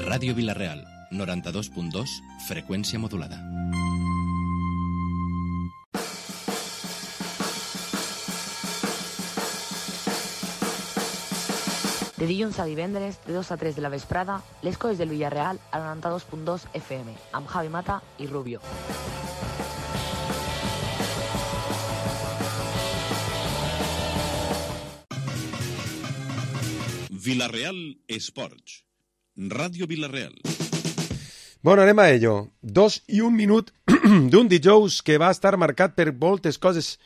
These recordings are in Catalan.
Ràdio Vila-real, 92.2, freqüència modulada. De dilluns a divendres, de 2 a 3 de la vesprada, les coses del Villarreal a 92.2 FM, amb Javi Mata i Rubio. Vila-real Esports. Ràdio Vila-real. Bueno, anem a ello. 2 i 1 minut d'un dijous que va estar marcat per moltes coses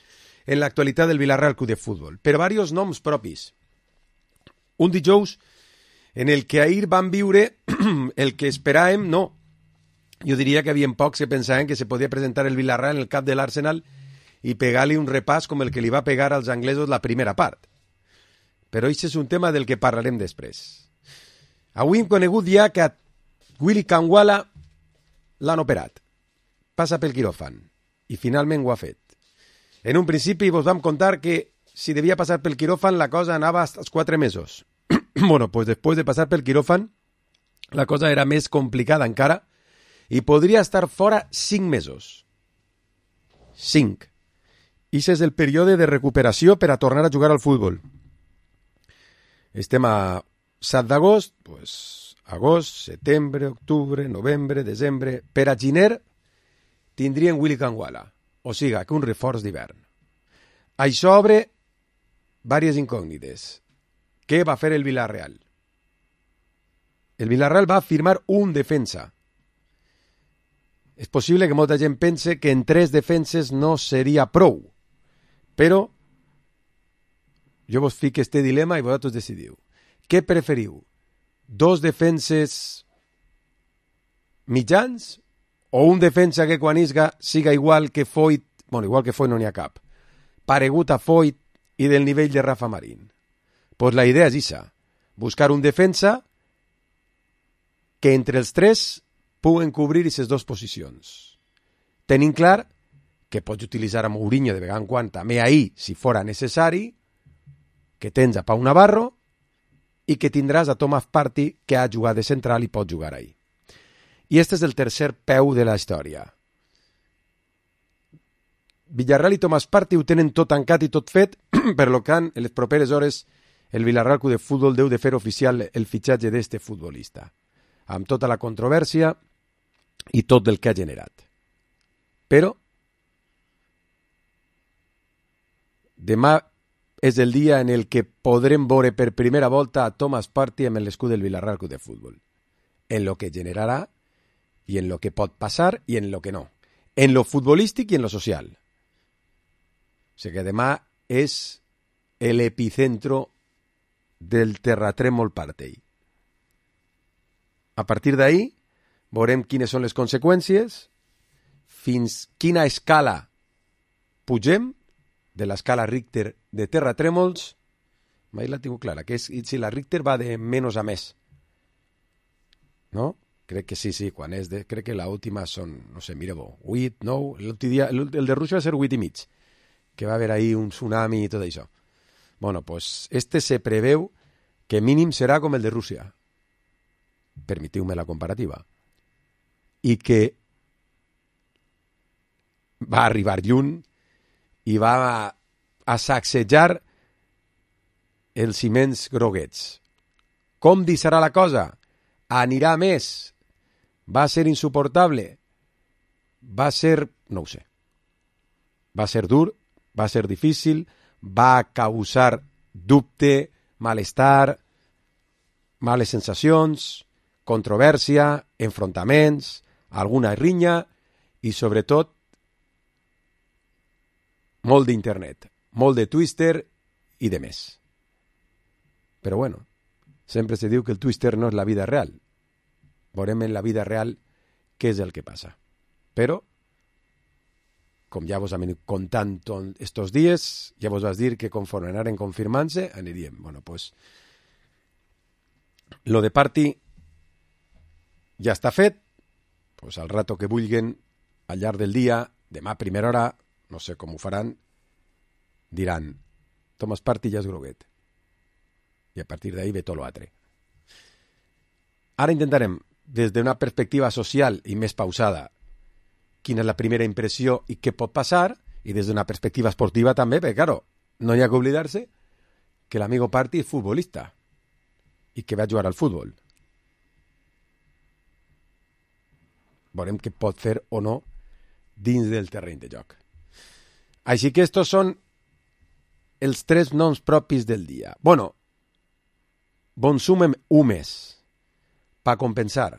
en l'actualitat del Vila-real Club de Futbol, per diversos noms propis. Un dijous en el que ahir van viure el que esperàvem, no. Jo diria que havien pocs que pensaven que se podia presentar el Vila-real en el camp de l'Arsenal i pegar-li un repàs com el que li va pegar als anglesos la primera part. Però això és un tema del que parlarem després. Avui hem conegut ja que a Willy Kangwala l'han operat. Passa pel quiròfan. I finalment ho ha fet. En un principi vos vam contar que si devia passar pel quiròfan la cosa anava als 4 mesos. Bueno, pues después de pasar pel quiròfan la cosa era més complicada encara i podria estar fora 5 mesos. 5. Ix és el període de recuperació per a tornar a jugar al futbol. Estem a 7 d'agost, pues, agost, setembre, octubre, novembre, desembre... Per a gener tindrien Willy Kangwala, o siga, que un reforç d'hivern. Això obre diverses incògnites. Què va fer el Villarreal? El Villarreal va firmar un defensa. És possible que molta gent pense que en 3 defenses no seria prou, però jo vos fico este dilema i vosaltres decidiu. Què preferiu? 2 defenses mitjans o un defensa que quan isga siga igual que Foyt, bueno, igual que Foyt no n'hi ha cap, paregut a Foyt i del nivell de Rafa Marín? Pues la idea és ixa, buscar un defensa que entre els 3 puguen cobrir aquestes 2 posicions. Tenint clar que pots utilitzar a Mourinho de vegada en quan també ahir, si fora necessari, que tens a Pau Navarro i que tindràs a Thomas Partey, que ha jugat de central i pot jugar ahir. I este és el tercer peu de la història. Villarreal i Thomas Partey ho tenen tot tancat i tot fet, per lo que en les properes hores el Villarreal Club de Futbol deu de fer oficial el fitxatge d'este futbolista, amb tota la controvèrsia i tot el que ha generat. Però demà és el dia en el que podrem veure per primera volta a Thomas Partey amb l'escut del Villarreal Club de Futbol. En lo que generarà i en lo que pot passar i en lo que no. En lo futbolístic i en lo social. O sigui que demà és l'epicentro del terratrèmol Partey. A partir d'ahí veurem quines són les conseqüències, fins quina escala pugem de l'escala Richter de terratrèmols. Mai la tinc clara, que és, si la Richter va de menys a més. No? Crec que sí, quan és de... Crec que l'última són, no sé, mireu, 8, 9... El de Rússia va ser 8 i mig, que va haver ahí un tsunami i tot això. Bueno, pues este se preveu que mínim serà com el de Rússia. Permetiu-me la comparativa. I que va arribar lluny i va a sacsejar els ciments groguets. Com deixarà la cosa? Anirà més? Va ser insuportable? Va ser... no ho sé. Va ser dur, va ser difícil, va causar dubte, malestar, males sensacions, controvèrsia, enfrontaments, alguna rinya i, sobretot, molt d'internet, molt de Twitter i de més. Però bueno, sempre se diu que el Twitter no és la vida real. Veurem en la vida real què és el que passa. Però, com ja vos hem contant estos dies, ja vos vas dir que conforme anaren confirmant-se, aniríem. Bueno, pues, lo de Partey ja està fet, pues al rato que vulguen, al llarg del dia, demà a primera hora, no sé com ho faran, diran, Thomas Partey ja és groguet. I a partir d'ahí ve tot l'altre. Ara intentarem des d'una perspectiva social i més pausada, quina és la primera impressió i què pot passar, i des d'una perspectiva esportiva també, perquè, claro, no hi ha que oblidar-se que l'amigo Party és futbolista i que va jugar al futbol. Veurem què pot fer o no dins del terreny de joc. Així que estos són els 3 noms propis del dia. Bueno, bon sumem un més per compensar,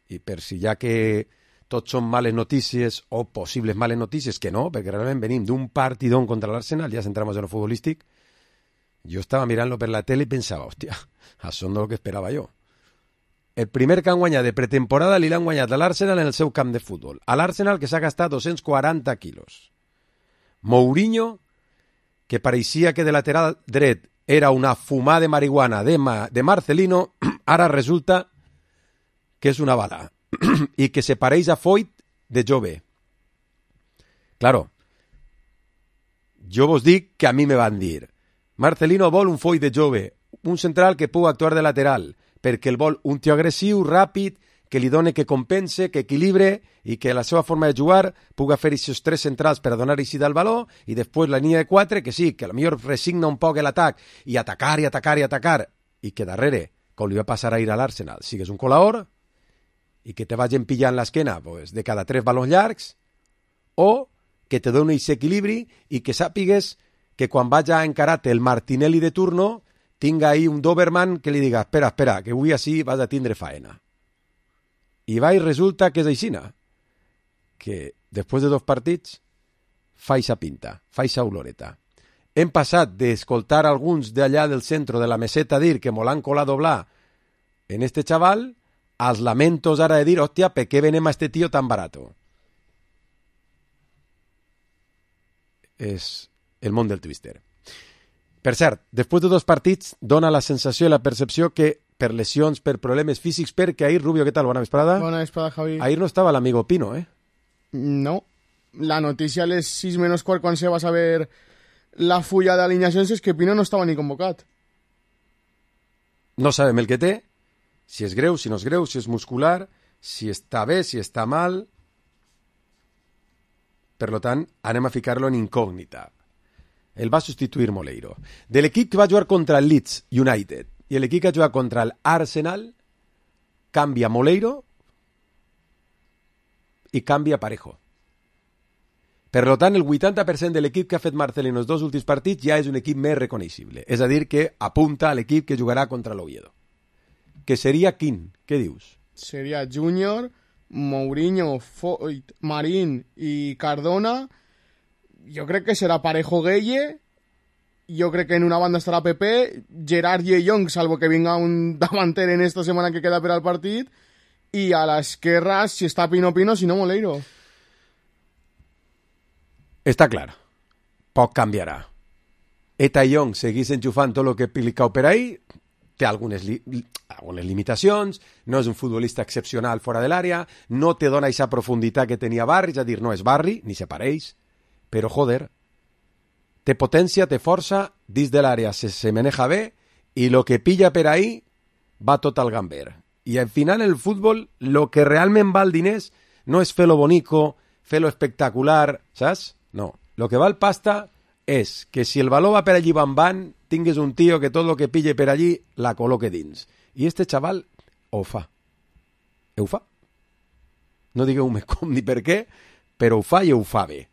i per si ja que tots són males notícies o possibles males notícies, que no, perquè realment venim d'un partidón contra l'Arsenal, ja centramos en lo futbolístic. Jo estava mirant-lo per la tele i pensava, hòstia, això no és el que esperava jo. El primer que han guanyat de pretemporada li l'han guanyat a l'Arsenal en el seu camp de futbol. A l'Arsenal, que s'ha gastat 240 quilos. Mourinho, que pareixia que de lateral dret era una fumada de marihuana de Marcelino, ara resulta que és una bala i que se pareix a Foyt de jove. Claro, jo vos dic que a mi me van dir Marcelino vol un Foyt de jove, un central que pugui actuar de lateral, perquè el vol un tio agressiu, ràpid, que li doni, que compense, que equilibre i que la seva forma de jugar pugui fer aquests 3 centrals per donar així del valor i després la línia de 4, que sí, que potser resigna un poc l'atac i atacar i atacar i atacar i que darrere, com li va passar ahir a l'Arsenal, sigues un colador i que te vagin pillant l'esquena pues, de cada 3 balons llargs o que te doni aquest equilibri i que sàpigues que quan vaja a encarar-te el Martinelli de turno tinga ahí un Doberman que li diga espera, que avui així vas a tindre faena. I va i resulta que és aixina, que després de 2 partits fa eixa pinta, fa eixa oloreta. Hem passat d'escoltar alguns d'allà del centre de la meseta dir que m'ho l'han colat doblar en este chaval, als lamentos ara de dir, hòstia, per què venem a este tío tan barato? És el món del twister. Per cert, després de 2 partits dona la sensació i la percepció que per lesions, per problemes físics, perquè ahir, Rubio, què tal? Bona vesprada. Bona vesprada, Javi. Ahir no estava l'amigo Pino, ¿eh? No. La notícia a les 6 menos quart, quan se va saber la fulla d'alineacions, és que Pino no estava ni convocat. No sabem el que té, si és greu, si no és greu, si és muscular, si està bé, si està mal. Per tant, anem a ficar-lo en incògnita. El va substituir Moleiro. De l'equip que va jugar contra el Leeds United i l'equip que ha jugat contra l'Arsenal, canvia Moleiro i canvia Parejo. Per tant, el 80% de l'equip que ha fet Marcelino els 2 últims partits ja és un equip més reconeixible. És a dir, que apunta a l'equip que jugarà contra l'Oviedo. Que seria quin? Què dius? Seria Júnior, Mourinho, Foyt, Marín i Cardona. Jo crec que serà Parejo Gueye. Jo crec que en una banda estarà Pepe, Gerard i Young, salvo que vinga un davanter en esta setmana que queda per al partit, i a l'esquerra, si està Pino, si no Moleiro. Està clar. Poc canviarà. Eta Young seguís enxufant tot el que pilicau per ahí, té algunes limitacions, no és un futbolista excepcional fora de l'àrea, no te dona aquesta profunditat que tenia Barry, és a dir, no és Barry, ni se pareix, però joder, té potència, té força, dins de l'àrea se maneja bé i lo que pilla per ahí va tot al gamber. I al final el futbol, lo que realment val diners no és fer-lo bonico, fer-lo espectacular, saps? No. Lo que val pasta és que si el valor va per allí van, tingues un tio que tot lo que pille per allí la col·loque dins. I este xaval ho fa. Ho fa. No digueu-me com ni per què, però ho fa i ho fa bé.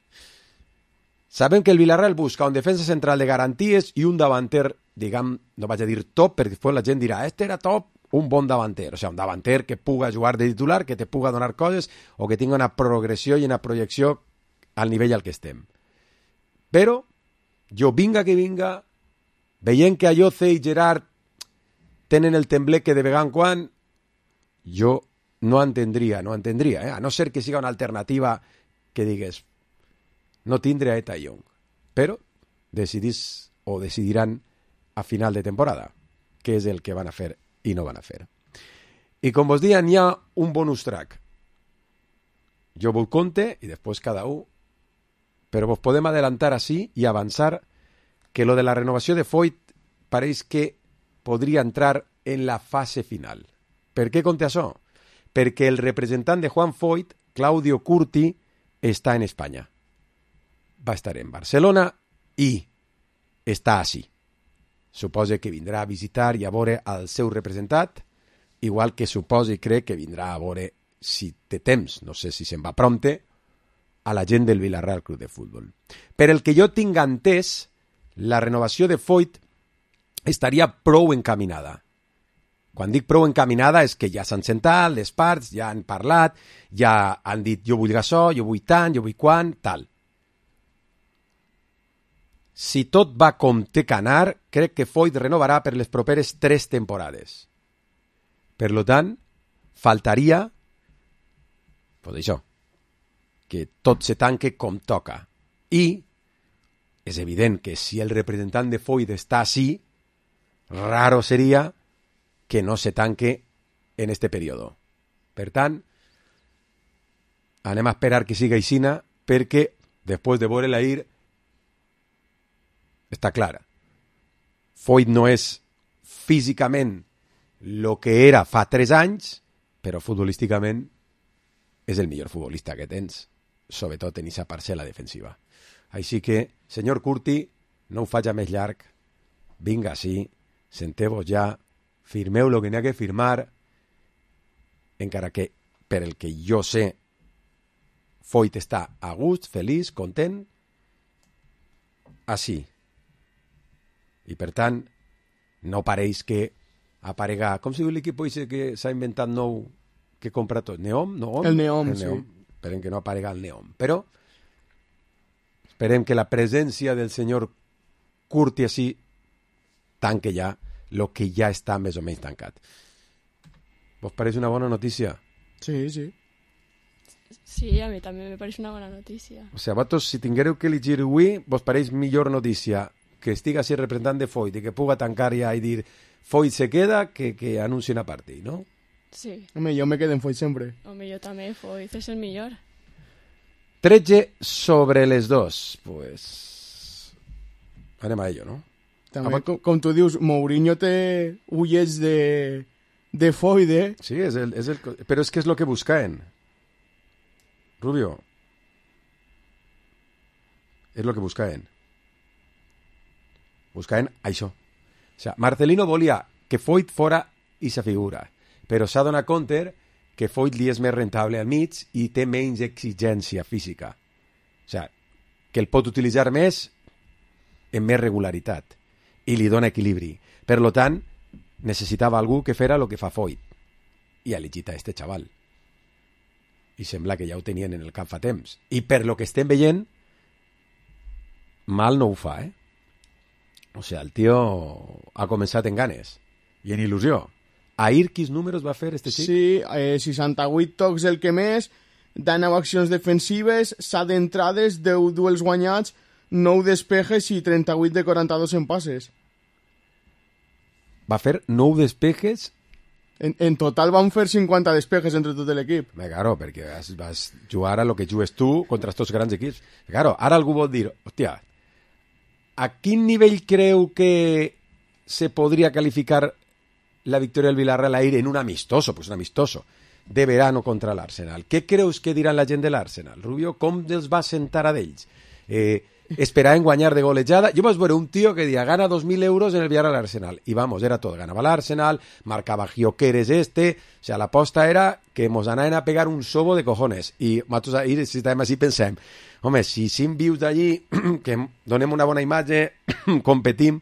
Sabem que el Villarreal busca un defensa central de garanties i un davanter, diguem, no vaig a dir top, perquè després la gent dirà, este era top, un bon davanter. O sigui, un davanter que puga jugar de titular, que te puga donar coses, o que tinga una progressió i una projecció al nivell al que estem. Però, jo vinga que vinga, veient que Ayoce i Gerard tenen el tembleque de vegada en quan, jo no entendria, a no ser que siga una alternativa que digues, no tindre a Eta Young, però decidís o decidiran a final de temporada què és el que van a fer i no van a fer. I com vos diuen, hi ha un bonus track. Jo vull compte i després cada un, però vos podem adelantar així i avançar que lo de la renovació de Foyt pareix que podria entrar en la fase final. Per què conté això? perquè el representant de Juan Foyt, Claudio Curti, està en Espanya. Va estar en Barcelona i està així. Suposa que vindrà a visitar i a veure el seu representat, igual que suposa i crec que vindrà a veure, si té temps, no sé si se'n va prompte, a la gent del Villarreal Club de Futbol. Per el que jo tinc entès, la renovació de Foyt estaria prou encaminada. Quan dic prou encaminada és que ja s'han sentat, les parts ja han parlat, ja han dit jo vull això, jo vull tant, jo vull quan, tal. Si tot va com té que anar, crec que Foyt renovarà per les properes 3 temporades. Per tant, faltaria, pues això, que tot se tanque com toca. I és evident que si el representant de Foyt està així, raro seria que no se tanque en este període. Per tant, anem a esperar que siga aixina, perquè després de veure l'ahir està clara. Foyt no és físicament el que era fa 3 anys, però futbolísticament és el millor futbolista que tens, sobretot en aquesta parcel·la defensiva. Així que, senyor Curti, no ho faig més llarg, vinga així, senteu-vos ja, firmeu el que n'hi ha que firmar, encara que, per el que jo sé, Foyt està a gust, feliç, content, així. I per tant, no pareix que aparega... Com si diu l'equip que s'ha inventat nou que compra tot? Neom? El Neom, sí. Esperem que no aparega el Neom. Però esperem que la presència del senyor Curti així tanque ja el que ja està més o menys tancat. ¿Vos pareix una bona notícia? Sí, sí. Sí, a mi també me pareix una bona notícia. O sigui, vosaltres, si tinguéreu que elegir avui, vos pareix millor notícia que estigui així el representant de Foyt i que puga tancar ja i dir Foyt se queda que anuncien a partir, no? Sí. Home, jo me quedo en Foyt sempre. Home, jo també, Foyt és el millor. 13 sobre les 2. Pues... anem a ello, no? També, com tu dius, Mourinho té ullets de Foyt, eh? Sí, però és que és el que buscaven. Rubio. És el que buscaven. Buscaven això. O sigui, Marcelino volia que Foyt fora i sa figura, però s'ha donat compte que Foyt li és més rentable al mig i té menys exigència física. O sigui, que el pot utilitzar més en més regularitat i li dona equilibri. Per tant, necessitava algú que fera el que fa Foyt i ha elegit a este xaval. I sembla que ja ho tenien en el camp fa temps. I per lo que estem veient, mal no ho fa, eh? O sigui, el tio ha començat en ganes i en il·lusió. Ahir quins números va fer este xic? Sí, 68 tocs el que més, 19 accions defensives, 7 entrades, 10 duels guanyats, 9 despejes i 38 de 42 en passes. Va fer 9 despejes? En total van fer 50 despejes entre tot l'equip. Claro, perquè vas jugar a lo que jugues tu contra estos grans equips. Claro, ara algú vol dir, hòstia, a quin nivell creu que se podria calificar la victòria del Villarreal ahir en un amistoso? Pues un amistoso de verano contra l'Arsenal. Què creus que diran la gent de l'Arsenal? Rubio, com els va sentar a d'ells? Esperaven guanyar de golejada. Jo vaig veure un tio que dia gana 2.000 euros en el Villarreal Arsenal. I vamos, era tot. Ganava l'Arsenal, marcava Gyökeres o sea, l'aposta era que mos anaven a pegar un sobo de cojones. I nosaltres ahir, si estàvem així, pensem, home, si 5 vius d'allí, que donem una bona imatge, competim.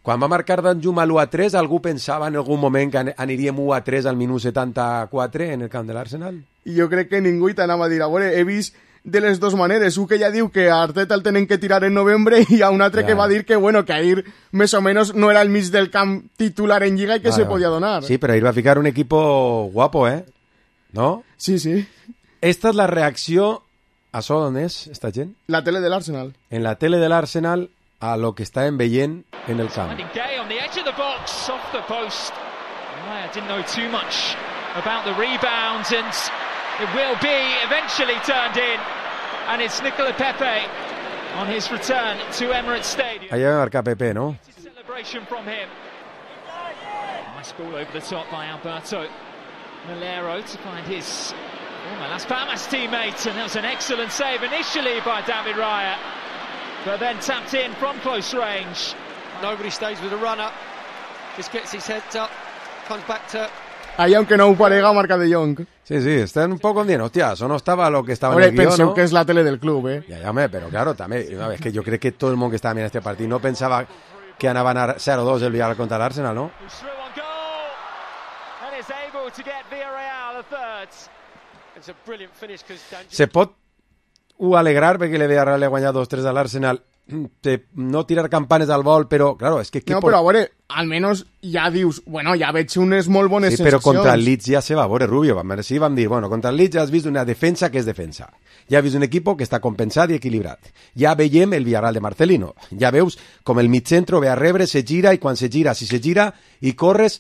Quan va marcar Danjuma l'1-3, algú pensava en algun moment que aniríem 1-3 al minut 74 en el camp de l'Arsenal? I jo crec que ningú t'anava a dir, a veure, he vist de les dues maneres, un que ja diu que a Arteta el tenen que tirar en novembre i a un altre que va dir que, bueno, que ahir més o menos no era el mig del camp titular en Lliga i que se podia donar. Sí, però ahir va ficar un equipo guapo, ¿eh? ¿No? Sí, sí. Esta és la reacció... ¿Això on és, esta gent? La tele de l'Arsenal. En la tele de l'Arsenal a lo que estaven veient en el camp. Gay on the edge of the box, off the post. I didn't know too much about the rebound, and it will be eventually turned in, and it's Nicola Pepe on his return to Emirates Stadium. Allà va marcar Pepe, no? Celebration from him. Nice ball over the top by Alberto. Malero to find his former Las Palmas teammate, and that was an excellent save initially by David Raya, but then tapped in from close range. Nobody stays with the runner, just gets his head up, comes back to... Ahí, aunque no parega, marca de Jong. Sí, están un poco bien. Hostia, eso no estava lo que estava Hombre, en el guió, penseu no? que és la tele del club, Ja, home, però claro, també, és que jo crec que tot el món que estava mirant este partit no pensava que anaven a 0-2 el Villarreal contra l'Arsenal, no? Through on goal, and is able to get Villarreal a third. It's a brilliant finish because Se pot alegrar perquè el Villarreal li ha guanyat 2-3 a l'Arsenal, no tirar campanes al vol, però, claro, és que... No, però a veure, almenys ja dius, bueno, ja veig unes molt bones Sí, però sensacions. contra el Leeds ja se va a veure, Rubio. Sí, vam dir, bueno, contra el Leeds ja has vist una defensa que és defensa. Ja has vist un equip que està compensat i equilibrat. Ja veiem el Villarreal de Marcelino. Ja veus com el mitjentro ve a rebre, se gira, i quan se gira, si se gira i corres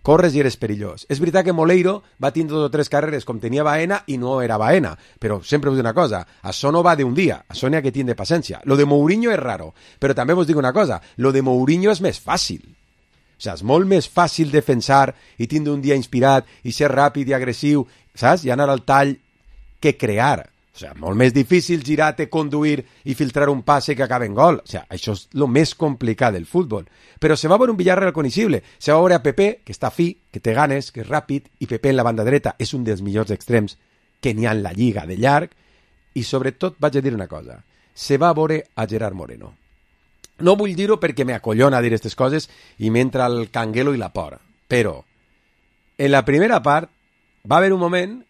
i eres perillós. És veritat que Moleiro va tindre 2 o 3 carreres com tenia Baena i no era Baena, però sempre us dic una cosa, això no va d'un dia, això n'hi ha que tindre paciència. Lo de Mourinho és raro, però també vos dic una cosa, lo de Mourinho és més fàcil. O sigui, és molt més fàcil defensar i tindre un dia inspirat i ser ràpid i agressiu, saps? I anar al tall que crear. O sigui, molt més difícil girar-te, conduir i filtrar un passe que acabe en gol. O sigui, això és el més complicat del futbol. Però se va veure un Villarreal recognoscible. Se va veure a Pepe, que està fi, que té ganes, que és ràpid, i Pepe en la banda dreta és un dels millors extrems que n'hi ha en la Lliga de llarg. I sobretot vaig a dir una cosa. Se va veure a Gerard Moreno. No vull dir-ho perquè m'acollona dir aquestes coses i m'entra el canguelo i la por. Però en la primera part va haver un moment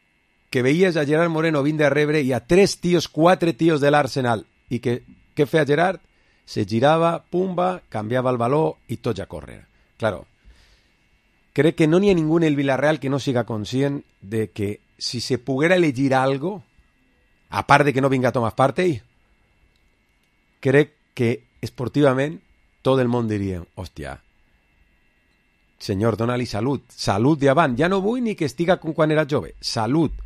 que veies a Gerard Moreno vindre a rebre i a 4 tios de l'Arsenal. I què feia Gerard? Se girava, pumba, canviava el baló i tots a córrer. Claro, crec que no n'hi ha ningú en el Villarreal que no siga conscient de que si se poguera elegir algo, a part de que no vinga Thomas Partey, crec que esportivament tot el món diria, hòstia, senyor, dona-li salut d'avant. Ja no vull ni que estiga com quan era jove. Salut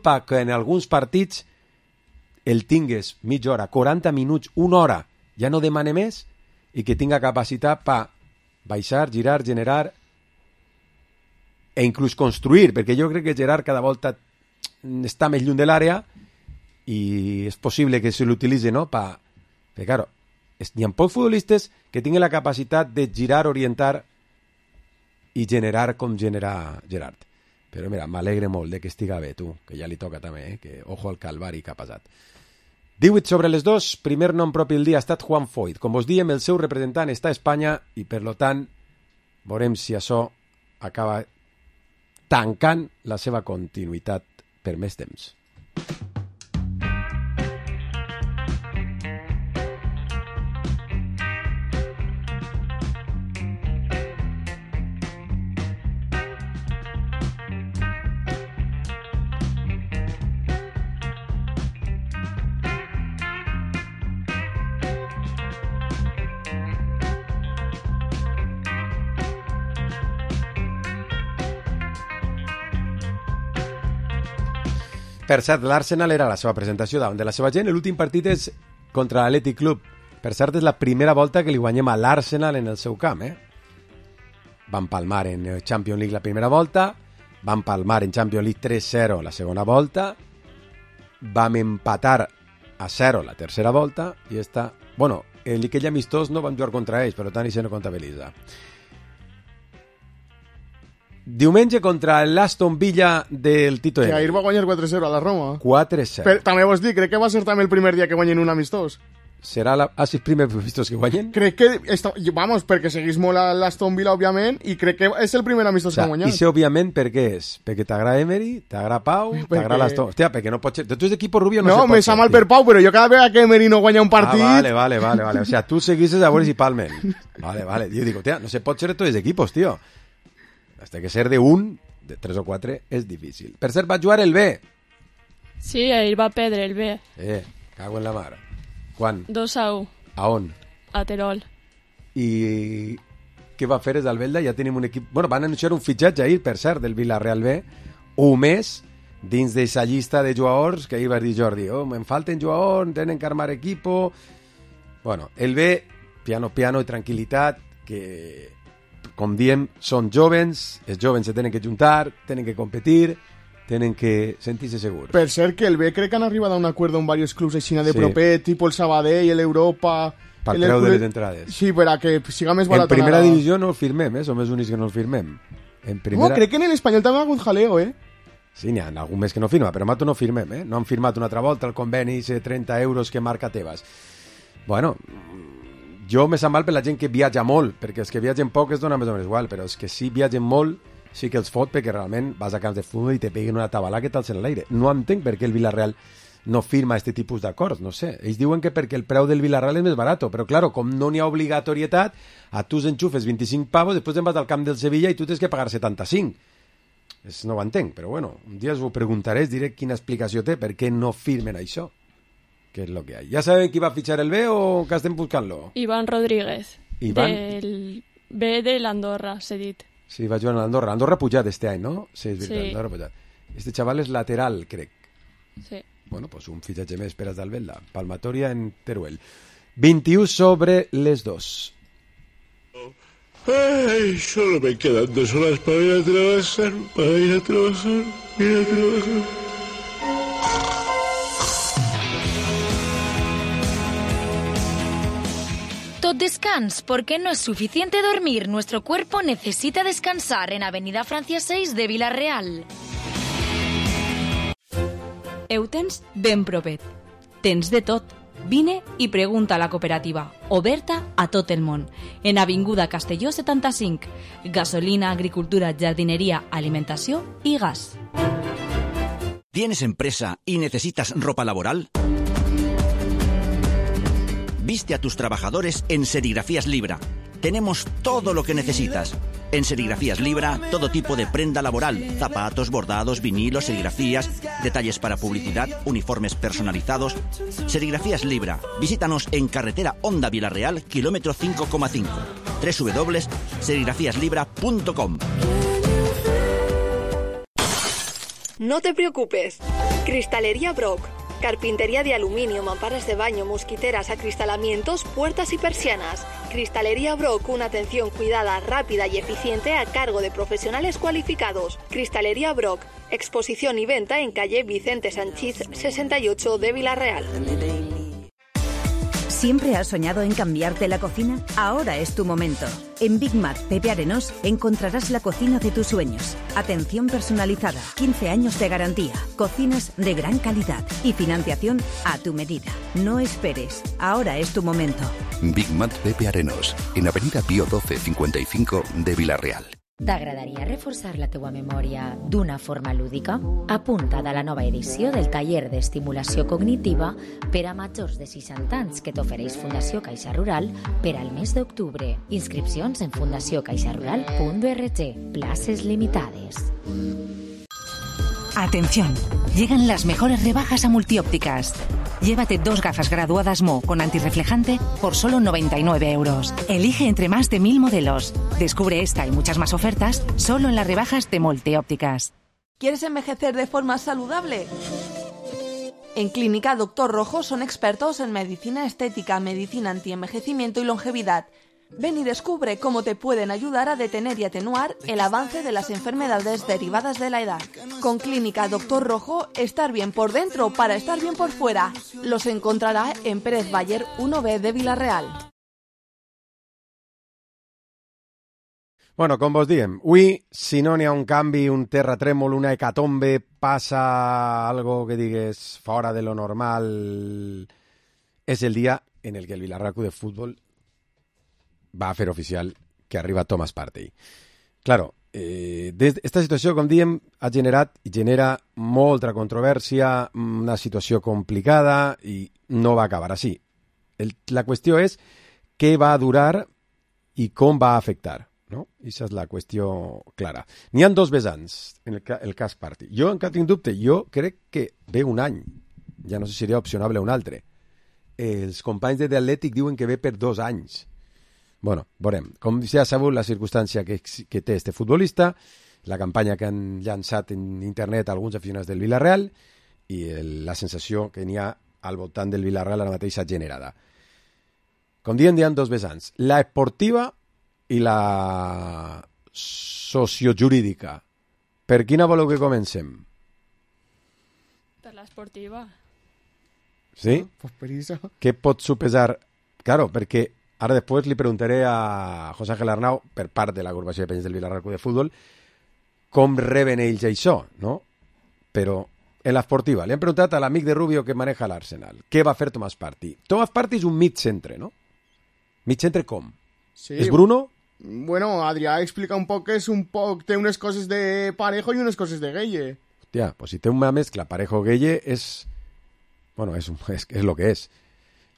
perquè en alguns partits el tingues mitja hora, 40 minuts, 1 hora, ja no demane més, i que tinga capacitat per baixar, girar, generar e inclús construir, perquè jo crec que Gerard cada volta està més lluny de l'àrea i és possible que se l'utilitzi, no? Perquè, claro, hi ha pocs futbolistes que tinguin la capacitat de girar, orientar i generar com genera Gerard. Però mira, m'alegre molt de que estiga bé, tu, que ja li toca també, que ojo al calvari que ha passat. 18 sobre les 2, primer nom propi del dia ha estat Juan Foyt. Com vos diem, el seu representant està a Espanya i, per lo tant, veurem si això acaba tancant la seva continuïtat per més temps. Per cert, l'Arsenal era la seva presentació davant de la seva gent. L'últim partit és contra l'Athletic Club. Per cert, és la primera volta que li guanyem a l'Arsenal en el seu camp. Van palmar en Champions League la primera volta, van palmar en Champions League 3-0 la segona volta, vam empatar a 0 la tercera volta, i esta... Bueno, en aquell amistós no vam jugar contra ells, per tant, això no comptabilitza. Diumenge contra l'Aston Villa del Tito Que Emery. ahir va guanyar 4-0 a la Roma. 4-0. Però també vos dic, crec que va ser també el primer dia que guanyen un amistós. Serà els primers vistos que guanyen? Crec que... Vamos, perquè seguís molt a l'Aston Villa, òbviament, i crec que és el primer amistós que ha guanyat. I sé, òbviament, per què és? Perquè t'agrada Emery, t'agrada Pau, t'agrada l'Aston... Hòstia, perquè no pot ser... Tu és d'equip Rubio, no se pot ser. No, me sa mal per Pau, però jo cada vegada que Emery no guanya un partit... Vale. O sea, tu seguisses a veure si palmen. Vale. Jo dic, hòstia, no se pot ser de tots els equipos, tío. Hasta que ser de un, de 3 o 4, és difícil. Per cert, va jugar el B. Sí, ahir va perdre el B. Cago en la mar. Quan? 2-1. A on? A Terol. I què va fer des del Belda? Ja tenim un equip... Bueno, van anunciar un fitxatge ahir, per cert, del Villarreal B, un mes dins d'aquesta llista de jugadors que ahir va dir Jordi, me'n falten jugadors, tenen que armar equipo... Bueno, el B, piano i tranquil·litat, que com diem, són jovens, els jovens se tenen que juntar, tenen que competir, tenen que sentir-se segurs. Per cert, que el B crec que han arribat a un acord amb diversos clubs així de propet, tipus el Sabadell, l'Europa... Per treure les entrades. Sí, per a que siga més barat. En primera divisió no el firmem, som els únics que no el firmem. No, crec que en l'Espanyol també ha hagut jaleo, Sí, n'hi ha algun més que no firma, però nosaltres no firmem, No han firmat una altra volta el conveni, 30 euros que marca Tebas. Bueno, jo me sap mal per la gent que viatja molt, perquè els que viatgen poc es dona més o menys igual, però els que sí viatgen molt sí que els fot, perquè realment vas a camps de futbol i te peguen una tabalà que t'alcen a l'aire. No entenc per què el Villarreal no firma este tipus d'acords, no sé. Ells diuen que perquè el preu del Villarreal és més barat, però claro, com no n'hi ha obligatorietat, a tu enxufes 25 pavos, després te'n vas al camp del Sevilla i tu tens que pagar 75. No ho entenc, però bueno, un dia us ho preguntaré, diré quina explicació té, per què no firmen això, que és el que hi ha. Ja sabem qui va fitxar el B o que estem buscant-lo? Iván Rodríguez, del B de l'Andorra, s'ha dit. Sí, va jugar a l'Andorra. L'Andorra ha pujat este any, no? Sí, és veritat, sí. L'Andorra ha pujat. Este xaval és lateral, crec. Sí. Bueno, pues un fitxatge més per als d'Albelda. Palmatoria en Teruel. 21 sobre les 2. Ay, solo me quedan 2 horas para ir a trabajar, Tot descans, porque no es suficiente dormir. Nuestro cuerpo necesita descansar en Avenida Francia 6 de Vila-real. Ho tens ben propet. Tens de tot. Vine i pregunta a la cooperativa, oberta a tot el món. En Avinguda Castelló 75. Gasolina, agricultura, jardinería, alimentació i gas. ¿Tienes empresa y necesitas ropa laboral? Viste a tus trabajadores en Serigrafías Libra. Tenemos todo lo que necesitas. En Serigrafías Libra, todo tipo de prenda laboral, zapatos, bordados, vinilos, serigrafías, detalles para publicidad, uniformes personalizados. Serigrafías Libra. Visítanos en carretera Honda Vila-real, kilómetro 5,5. www.serigrafíaslibra.com. No te preocupes. Cristalería Brock. Carpintería de aluminio, mamparas de baño, mosquiteras, acristalamientos, puertas y persianas. Cristalería Brock, una atención cuidada, rápida y eficiente a cargo de profesionales cualificados. Cristalería Brock, exposición y venta en calle Vicente Sanchís 68 de Vila-real. ¿Siempre has soñado en cambiarte la cocina? Ahora es tu momento. En Big Mac Pepe Arenós encontrarás la cocina de tus sueños. Atención personalizada, 15 años de garantía, cocinas de gran calidad y financiación a tu medida. No esperes, ahora es tu momento. Big Mac Pepe Arenós, en Avenida Pío 12 55 de Vila-real. T'agradaria reforçar la teua memòria d'una forma lúdica? Apunta't a la nova edició del taller d'estimulació cognitiva per a majors de 60 anys que t'ofereix Fundació Caixa Rural per al mes d'octubre. Inscripcions en fundaciocaixarural.org. Places limitades. Atención, llegan las mejores rebajas a Multiópticas. Llévate 2 gafas graduadas Mo con antirreflejante por solo 99 euros. Elige entre más de 1000 modelos. Descubre esta y muchas más ofertas solo en las rebajas de Multiópticas. ¿Quieres envejecer de forma saludable? En Clínica Doctor Rojo son expertos en medicina estética, medicina antienvejecimiento y longevidad. Ven y descubre cómo te pueden ayudar a detener y atenuar el avance de las enfermedades derivadas de la edad. Con Clínica Doctor Rojo, estar bien por dentro para estar bien por fuera. Los encontrará en Pérez Bayer 1B de Vila-real. Bueno, com vos diem, avui, si no n'hi ha un canvi, un terratrèmol, una hecatombe, passa algo que digues fora de lo normal, és el dia en el que el Villarreal Club de Fútbol va a fer oficial que arriba Thomas Partey. Claro, esta situació, com diem, ha generat i genera molta controvèrsia, una situació complicada i no va acabar així. La qüestió és què va durar i com va afectar, no? Aquesta és la qüestió clara. N'hi ha 2 vessants en el cas Partey. Jo encara tinc dubte, jo crec que ve un any, ja no sé si seria opcionable un altre. Els companys de The Athletic diuen que ve per 2 anys. Bueno, veurem. Com ja sabeu, la circumstància que té este futbolista, la campanya que han llançat en internet alguns aficionats del Villarreal i la sensació que n'hi ha al voltant del Villarreal ara mateixa generada. Com diem, hi ha 2 vessants. La esportiva i la sociojurídica. Per quina voleu que comencem? Per l'esportiva. Sí? Pues per això. Què pot supesar? Claro, perquè ara després li preguntaré a José Ángel Arnau, per part de l'agrupació de penyes del Vilarreal Club de Futbol, com reben ells això, no? Però en l'esportiva, li han preguntat a l'amic de Rubio que maneja l'Arsenal, què va fer Thomas Partey? Thomas Partey és un mig-centre, no? Mig-centre com? Sí. És Bruno? Bueno, Adrià explica un poc que és un poc... Té unes coses de Parejo i unes coses de Gueye. Hòstia, pues si té una mescla Parejo-Gueye és... Bueno, és lo que és.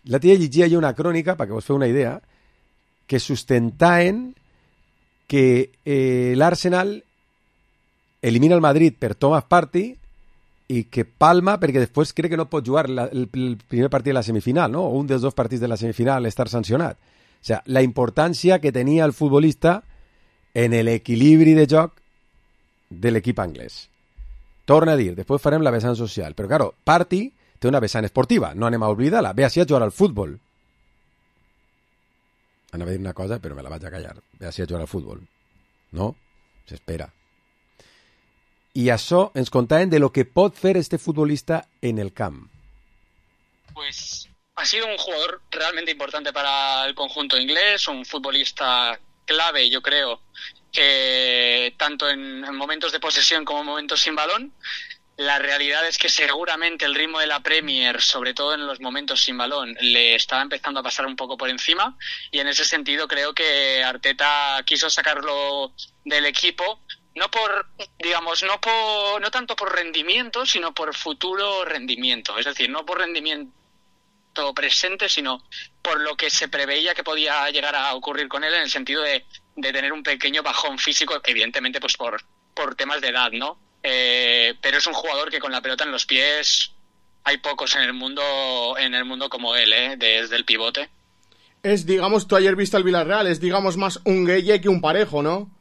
L'altre dia llegia jo una crònica, perquè vos feu una idea, que sustentaven que l'Arsenal elimina el Madrid per Thomas Partey i que palma perquè després crec que no pot jugar el primer partit de la semifinal, no? O un dels dos partits de la semifinal estar sancionat. O sea, la importància que tenia el futbolista en l'equilibri de joc de l'equip anglès. Torna a dir, després farem la vessant social, però claro, Partey té una vessant esportiva, no anem a oblidar-la, ve així a jugar al futbol. Anava a dir una cosa, però me la vaig a callar. Ve així a jugar al futbol. No? S'espera. I això ens contaven de lo que pot fer este futbolista en el camp. Pues ha sido un jugador realmente importante para el conjunto inglés, un futbolista clave, yo creo, tanto en momentos de posesión como en momentos sin balón. La realidad es que seguramente el ritmo de la Premier, sobre todo en los momentos sin balón, le estaba empezando a pasar un poco por encima, y en ese sentido creo que Arteta quiso sacarlo del equipo, no tanto por rendimiento, sino por futuro rendimiento, es decir, no por rendimiento presente, sino por lo que se preveía que podía llegar a ocurrir con él, en el sentido de tener un pequeño bajón físico, evidentemente pues por temas de edad, ¿no? Pero es un jugador que con la pelota en los pies hay pocos en el mundo como él, desde el pivote. Es, digamos, tú ayer viste al Villarreal, es, digamos, más un Gueye que un Parejo, ¿no?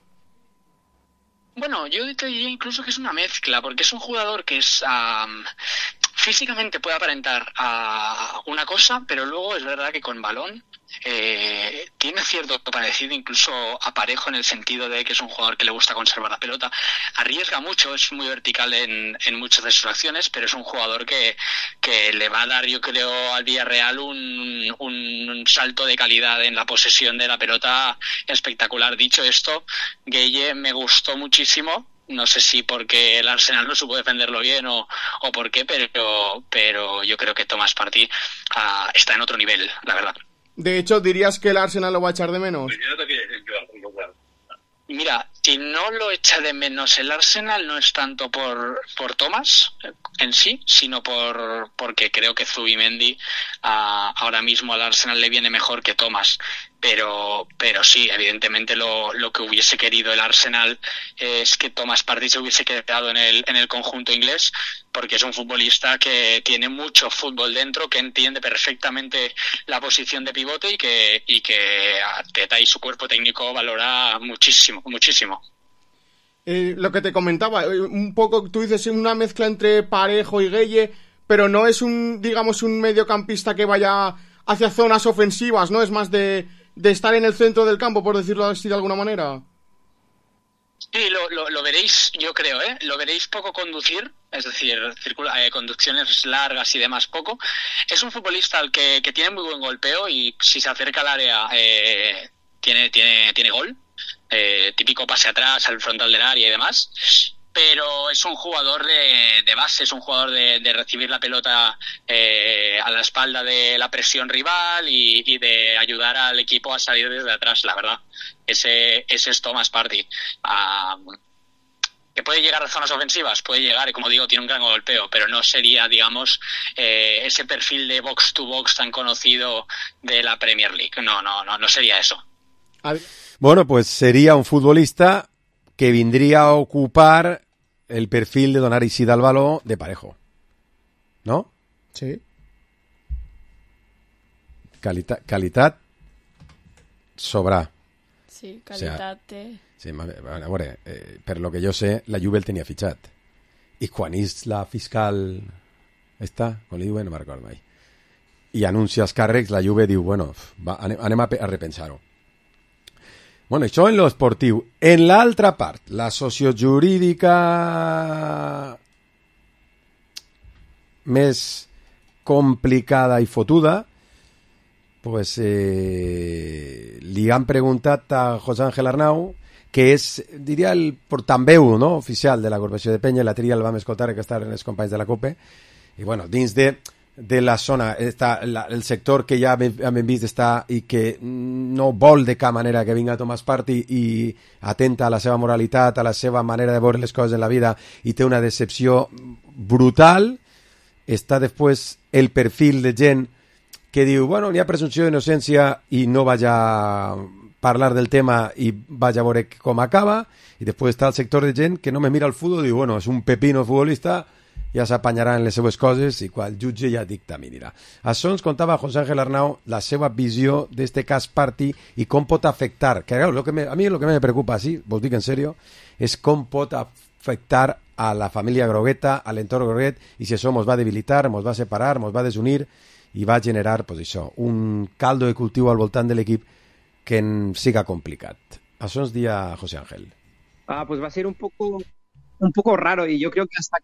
Bueno, yo te diría incluso que es una mezcla, porque es un jugador que es físicamente puede aparentar a una cosa, pero luego es verdad que con balón tiene cierto parecido incluso a Parejo, en el sentido de que es un jugador que le gusta conservar la pelota, arriesga mucho, es muy vertical en muchas de sus acciones, pero es un jugador que le va a dar, yo creo, al Villarreal un salto de calidad en la posesión de la pelota espectacular. Dicho esto, Gueye me gustó muchísimo. No sé si porque el Arsenal no supo defenderlo bien o por qué, pero yo creo que Thomas Partey está en otro nivel, la verdad. De hecho, ¿dirías que el Arsenal lo va a echar de menos? Mira, si no lo echa de menos el Arsenal, no es tanto por Thomas en sí, sino porque creo que Zubimendi ahora mismo al Arsenal le viene mejor que Thomas. Pero sí, evidentemente lo que hubiese querido el Arsenal es que Thomas Partey se hubiese quedado en el conjunto inglés, porque es un futbolista que tiene mucho fútbol dentro, que entiende perfectamente la posición de pivote y que Arteta y su cuerpo técnico valora muchísimo, muchísimo. Lo que te comentaba, un poco, tú dices una mezcla entre Parejo y Gueye, pero no es un mediocampista que vaya hacia zonas ofensivas, ¿no? Es más de estar en el centro del campo, por decirlo así de alguna manera. Sí, lo veréis, yo creo, lo veréis poco conducir, es decir, conducciones largas y demás poco. Es un futbolista al que tiene muy buen golpeo, y si se acerca al área tiene gol, típico pase atrás al frontal del área y demás. Pero es un jugador de base, es un jugador de recibir la pelota a la espalda de la presión rival y de ayudar al equipo a salir desde atrás, la verdad. Ese es Thomas Partey. ¿Que puede llegar a zonas ofensivas? Puede llegar, y como digo, tiene un gran golpeo, pero no sería, digamos, ese perfil de box to box tan conocido de la Premier League. No sería eso. Bueno, pues sería un futbolista que vendría a ocupar el perfil de donar Isidal Baló de Parejo, ¿no? Sí. Calitat sobra. Sí, calitat Sí, a veure, per lo que jo sé, la Juve el tenia fitxat. I quan és la fiscal com li diuen, no me'n recordo mai, i anuncia els càrrecs, la Juve diu, bueno, anem a repensar-ho. Bueno, això en lo esportiu. En l'altra part, la sociojurídica més complicada i fotuda, pues li han preguntat a José Ángel Arnau, que és, diria, el portaveu, no?, oficial de l'agrupació de Penya. La tria el vam escoltar, que estan els companys de la COPE, i bueno, dins de la zona està el sector que ja hem vist està i que no vol de cap manera que vinga Tomàs Partey i atenta a la seva moralitat, a la seva manera de veure les coses en la vida, i té una decepció brutal. Està després el perfil de gent que diu, bueno, n'hi ha presumpció d'innocència i no vaig a parlar del tema i vaig a veure com acaba. I després està el sector de gent que no me mira el futbol i diu, bueno, és un pepino futbolista, ja s'apanyarà en les seues coses i quan el jutge ja dictaminarà. Això ens contava José Ángel Arnau, la seva visió d'este cas Partey i com pot afectar, que claro, a mi el que me preocupa, sí, vos dic en serio, és com pot afectar a la família grogueta, a l'entorn groguet, i si això ens va debilitar, ens va separar, ens va desunir i va generar, pues això, un caldo de cultiu al voltant de l'equip que en siga complicat. Això ens dia José Ángel. Pues va a ser un poco raro, y yo creo que hasta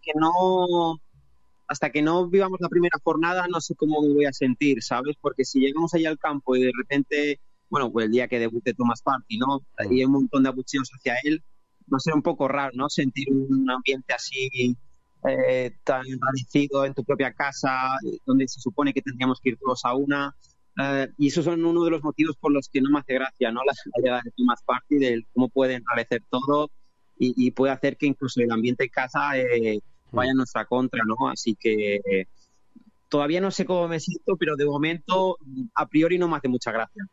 que no vivamos la primera jornada no sé cómo me voy a sentir, ¿sabes? Porque si llegamos allá al campo y de repente, bueno, pues el día que debute Tomàs Partey, ¿no?, y hay un montón de abucheos hacia él, va a ser un poco raro, ¿no?, sentir un ambiente así tan enrarecido en tu propia casa, donde se supone que tendríamos que ir todos a una. Y esos son uno de los motivos por los que no me hace gracia, ¿no?, la llegada de Tomàs Partey, de cómo puede enrarecer todo y puede hacer que incluso el ambiente en casa vaya en nuestra contra, ¿no? Así que todavía no sé cómo me siento, pero de momento a priori no me hace mucha gracia.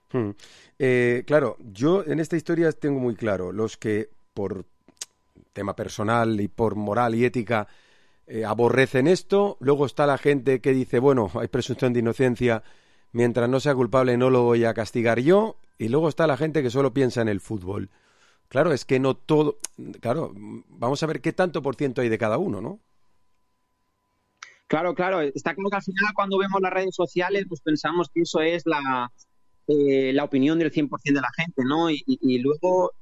Claro, yo en esta historia tengo muy claro, los que por tema personal y por moral y ética aborrecen esto, luego está la gente que dice, bueno, hay presunción de inocencia, mientras no sea culpable no lo voy a castigar yo, y luego está la gente que solo piensa en el fútbol. Claro, es que no todo... Claro, vamos a ver qué tanto por ciento hay de cada uno, ¿no? Claro. Está claro que al final cuando vemos las redes sociales pues pensamos que eso es la opinión del 100% de la gente, ¿no? Y luego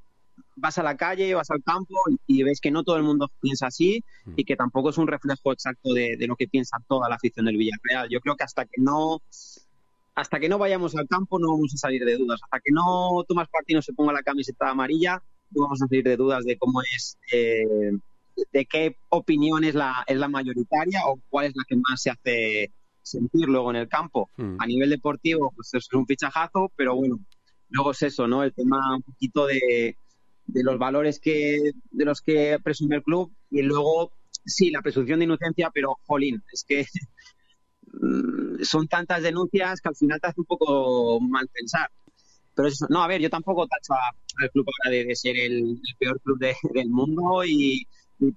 vas a la calle, vas al campo y ves que no todo el mundo piensa así y que tampoco es un reflejo exacto de lo que piensa toda la afición del Villarreal. Yo creo que hasta que no vayamos al campo no vamos a salir de dudas. Hasta que no Tomàs Partey no se ponga la camiseta amarilla, no vamos a salir de dudas de cómo es, de qué opinión es la mayoritaria o cuál es la que más se hace sentir luego en el campo. A nivel deportivo, pues eso es un fichajazo, pero bueno, luego es eso, ¿no? El tema un poquito de los valores de los que presume el club, y luego sí, la presunción de inocencia, pero jolín, es que son tantas denuncias que al final te hace un poco mal pensar. Pero eso, no, a ver, yo tampoco tacho al club ahora de ser el peor club del mundo,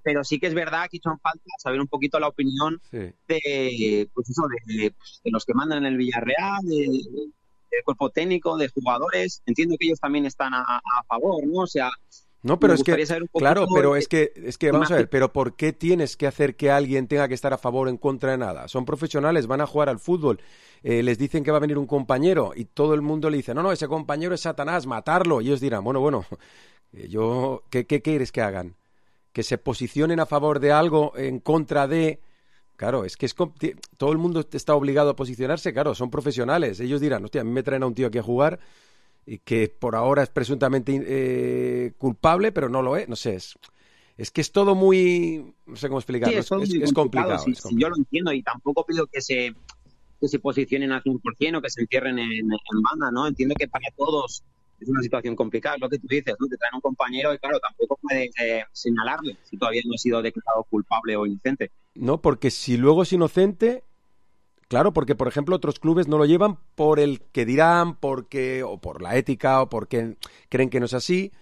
pero sí que es verdad que hizo falta saber un poquito la opinión de los que mandan en el Villarreal, del cuerpo técnico, de jugadores. Entiendo que ellos también están a favor, ¿no? O sea, no, pero es que, claro, pero es que vamos a ver, pero ¿por qué tienes que hacer que alguien tenga que estar a favor o en contra de nada? Son profesionales, van a jugar al fútbol, les dicen que va a venir un compañero y todo el mundo le dice, no, ese compañero es Satanás, matarlo. Y ellos dirán, bueno, ¿qué quieres que hagan? Que se posicionen a favor de algo, en contra de... Claro, es que todo el mundo está obligado a posicionarse, claro, son profesionales. Ellos dirán, hostia, a mí me traen a un tío aquí a jugar y que por ahora es presuntamente culpable, pero no lo es. No sé, es que es todo muy... No sé cómo explicarlo, sí, es complicado. Sí, yo lo entiendo y tampoco pido que se posicionen al 100% o que se encierren en banda, ¿no? Entiendo que para todos es una situación complicada, es lo que tú dices, ¿no? Te traen un compañero y claro, tampoco puedes señalarle si todavía no ha sido declarado culpable o inocente. No, porque si luego es inocente, claro, porque por ejemplo otros clubes no lo llevan por el que dirán, o por la ética, o porque creen que no es así.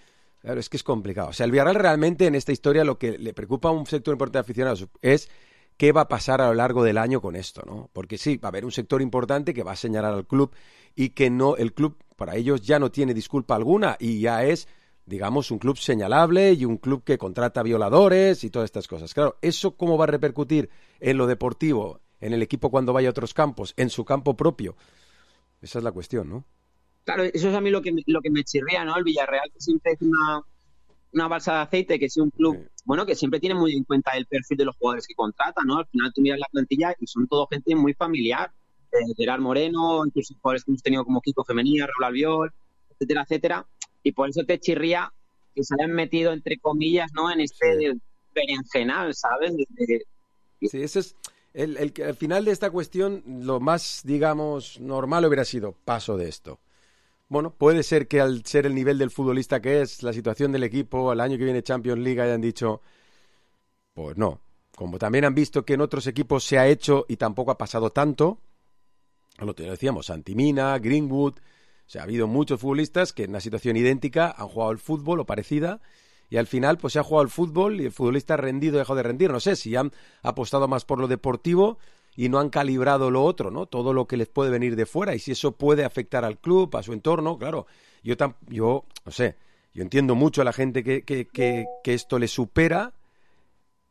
Claro, es que es complicado. O sea, el Villarreal realmente en esta historia lo que le preocupa a un sector importante de aficionados es qué va a pasar a lo largo del año con esto, ¿no? Porque sí, va a haber un sector importante que va a señalar al club y que no, el club para ellos ya no tiene disculpa alguna y ya es, digamos, un club señalable y un club que contrata violadores y todas estas cosas. Claro, ¿eso cómo va a repercutir en lo deportivo, en el equipo cuando vaya a otros campos, en su campo propio? Esa es la cuestión, ¿no? Claro, eso es a mí lo que me chirría, ¿no? El Villarreal, que siempre es una balsa de aceite, que es un club, bueno, que siempre tiene muy en cuenta el perfil de los jugadores que contrata, ¿no? Al final tú miras la plantilla y son todo gente muy familiar. Gerard Moreno, incluso jugadores que hemos tenido como Kiko Femenía, Raúl Albiol, etcétera, etcétera. Y por eso te chirría que se hayan metido, entre comillas, ¿no? En este berenjenal, ¿sabes? Sí, ese es al final de esta cuestión, lo más, digamos, normal hubiera sido paso de esto. Bueno, puede ser que al ser el nivel del futbolista que es, la situación del equipo, el año que viene Champions League, hayan dicho, pues no. Como también han visto que en otros equipos se ha hecho y tampoco ha pasado tanto, lo que decíamos, Santimina, Greenwood, o sea, ha habido muchos futbolistas que en una situación idéntica han jugado al fútbol o parecida, y al final pues se ha jugado al fútbol y el futbolista ha rendido o dejado de rendir. No sé si han apostado más por lo deportivo y no han calibrado lo otro, ¿no? Todo lo que les puede venir de fuera, y si eso puede afectar al club, a su entorno, claro. Yo no sé, yo entiendo mucho a la gente que esto le supera,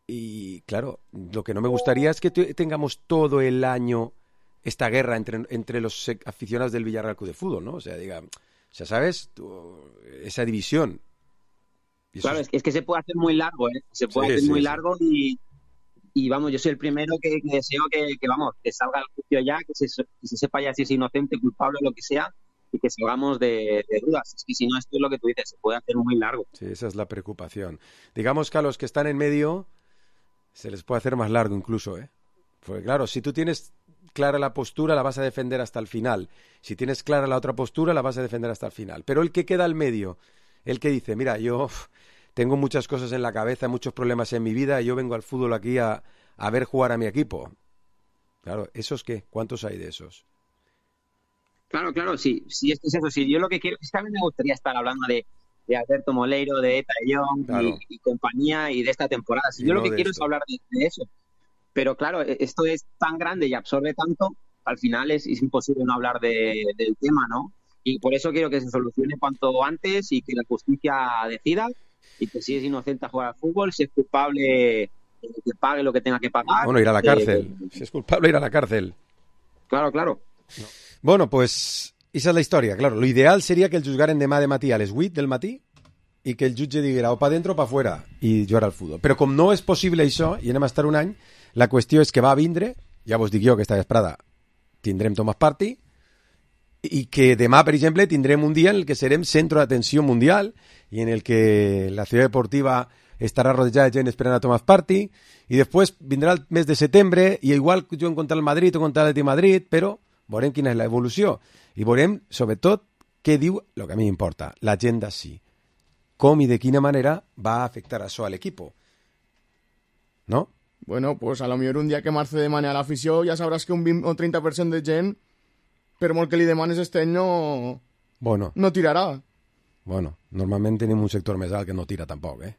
y claro, lo que no me gustaría es que tengamos todo el año esta guerra entre los aficionados del Villarreal Club de Fútbol, ¿no? O sea, ¿sabes? Esa división. Claro, es que se puede hacer muy largo, ¿eh? Se puede hacer muy largo y vamos, yo soy el primero que deseo que salga el juicio ya, que se sepa ya si es inocente, culpable o lo que sea, y que salgamos de dudas. Es que si no, esto es lo que tú dices, se puede hacer muy largo. Sí, esa es la preocupación. Digamos que a los que están en medio se les puede hacer más largo incluso, ¿eh? Porque claro, si tú tienes clara la postura, la vas a defender hasta el final. Si tienes clara la otra postura, la vas a defender hasta el final. Pero el que queda al medio, el que dice, mira, yo tengo muchas cosas en la cabeza, muchos problemas en mi vida, y yo vengo al fútbol aquí a ver jugar a mi equipo. Claro, ¿esos qué? ¿Cuántos hay de esos? Claro, sí, es que es eso. Sí, yo lo que quiero es que a mí me gustaría estar hablando de Alberto Moleiro, de Eta de Jong y compañía, y de esta temporada. Si yo lo que quiero es hablar de eso. Pero claro, esto es tan grande y absorbe tanto, al final es imposible no hablar del tema, ¿no? Y por eso quiero que se solucione cuanto antes y que la justicia decida, y que si es inocente a jugar al fútbol, si es culpable, que pague lo que tenga que pagar. Bueno, ir a la cárcel. Si es culpable, ir a la cárcel. Claro. No. Bueno, pues esa es la historia. Claro, lo ideal seria que el juzgaren demà de matí a les 8 del matí i que el jutge diguera o pa dentro o pa fuera i jugar al futbol. Però com no és possible això, i anem a estar un any, la qüestió és que va vindre, ja vos dic jo que esta vesprada tindrem Thomas Partey, i que demà, per exemple, tindrem un dia en el que serem centro d'atenció mundial i en el que la ciutat deportiva estarà rodejada de gent esperant a Thomas Partey, i després vindrà el mes de setembre i igual juguen contra el Madrid o contra l'Atlètic de Madrid, però veurem quina és l'evolució i veurem, sobretot, què diu, el que a mi m'importa, l'agenda sí. Com i de quina manera va a afectar això a l'equipo. ¿No? Bueno, pues a lo millor un dia que marce de manera a l'afició ja sabràs que un 20 o 30% de gent, per molt que li demanes este any, no tirarà. Bueno, normalment tenim un sector més alt que no tira tampoc, eh?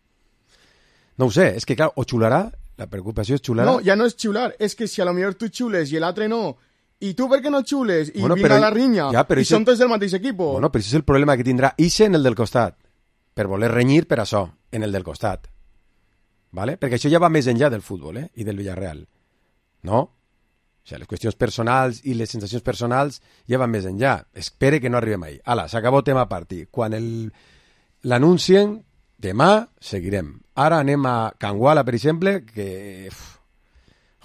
No ho sé, és que clar, o xularà, la preocupació és xularà. No, ja no és xular, és que si a lo millor tu xules i l'altre no, i tu per què no xules, i vinga la rinya, i són tots del mateix equip. Bueno, però això és el problema que tindrà Ise en el del costat, per voler renyir per això, en el del costat. ¿Vale? Perquè això ja va més enllà del futbol, i del Villarreal. No? O sigui, les qüestions personals i les sensacions personals ja van més enllà. Espere que no arribem ahí. Ala, s'acabó tema Partey. Quan l'anuncien, demà seguirem. Ara anem a Canguala, per exemple, que...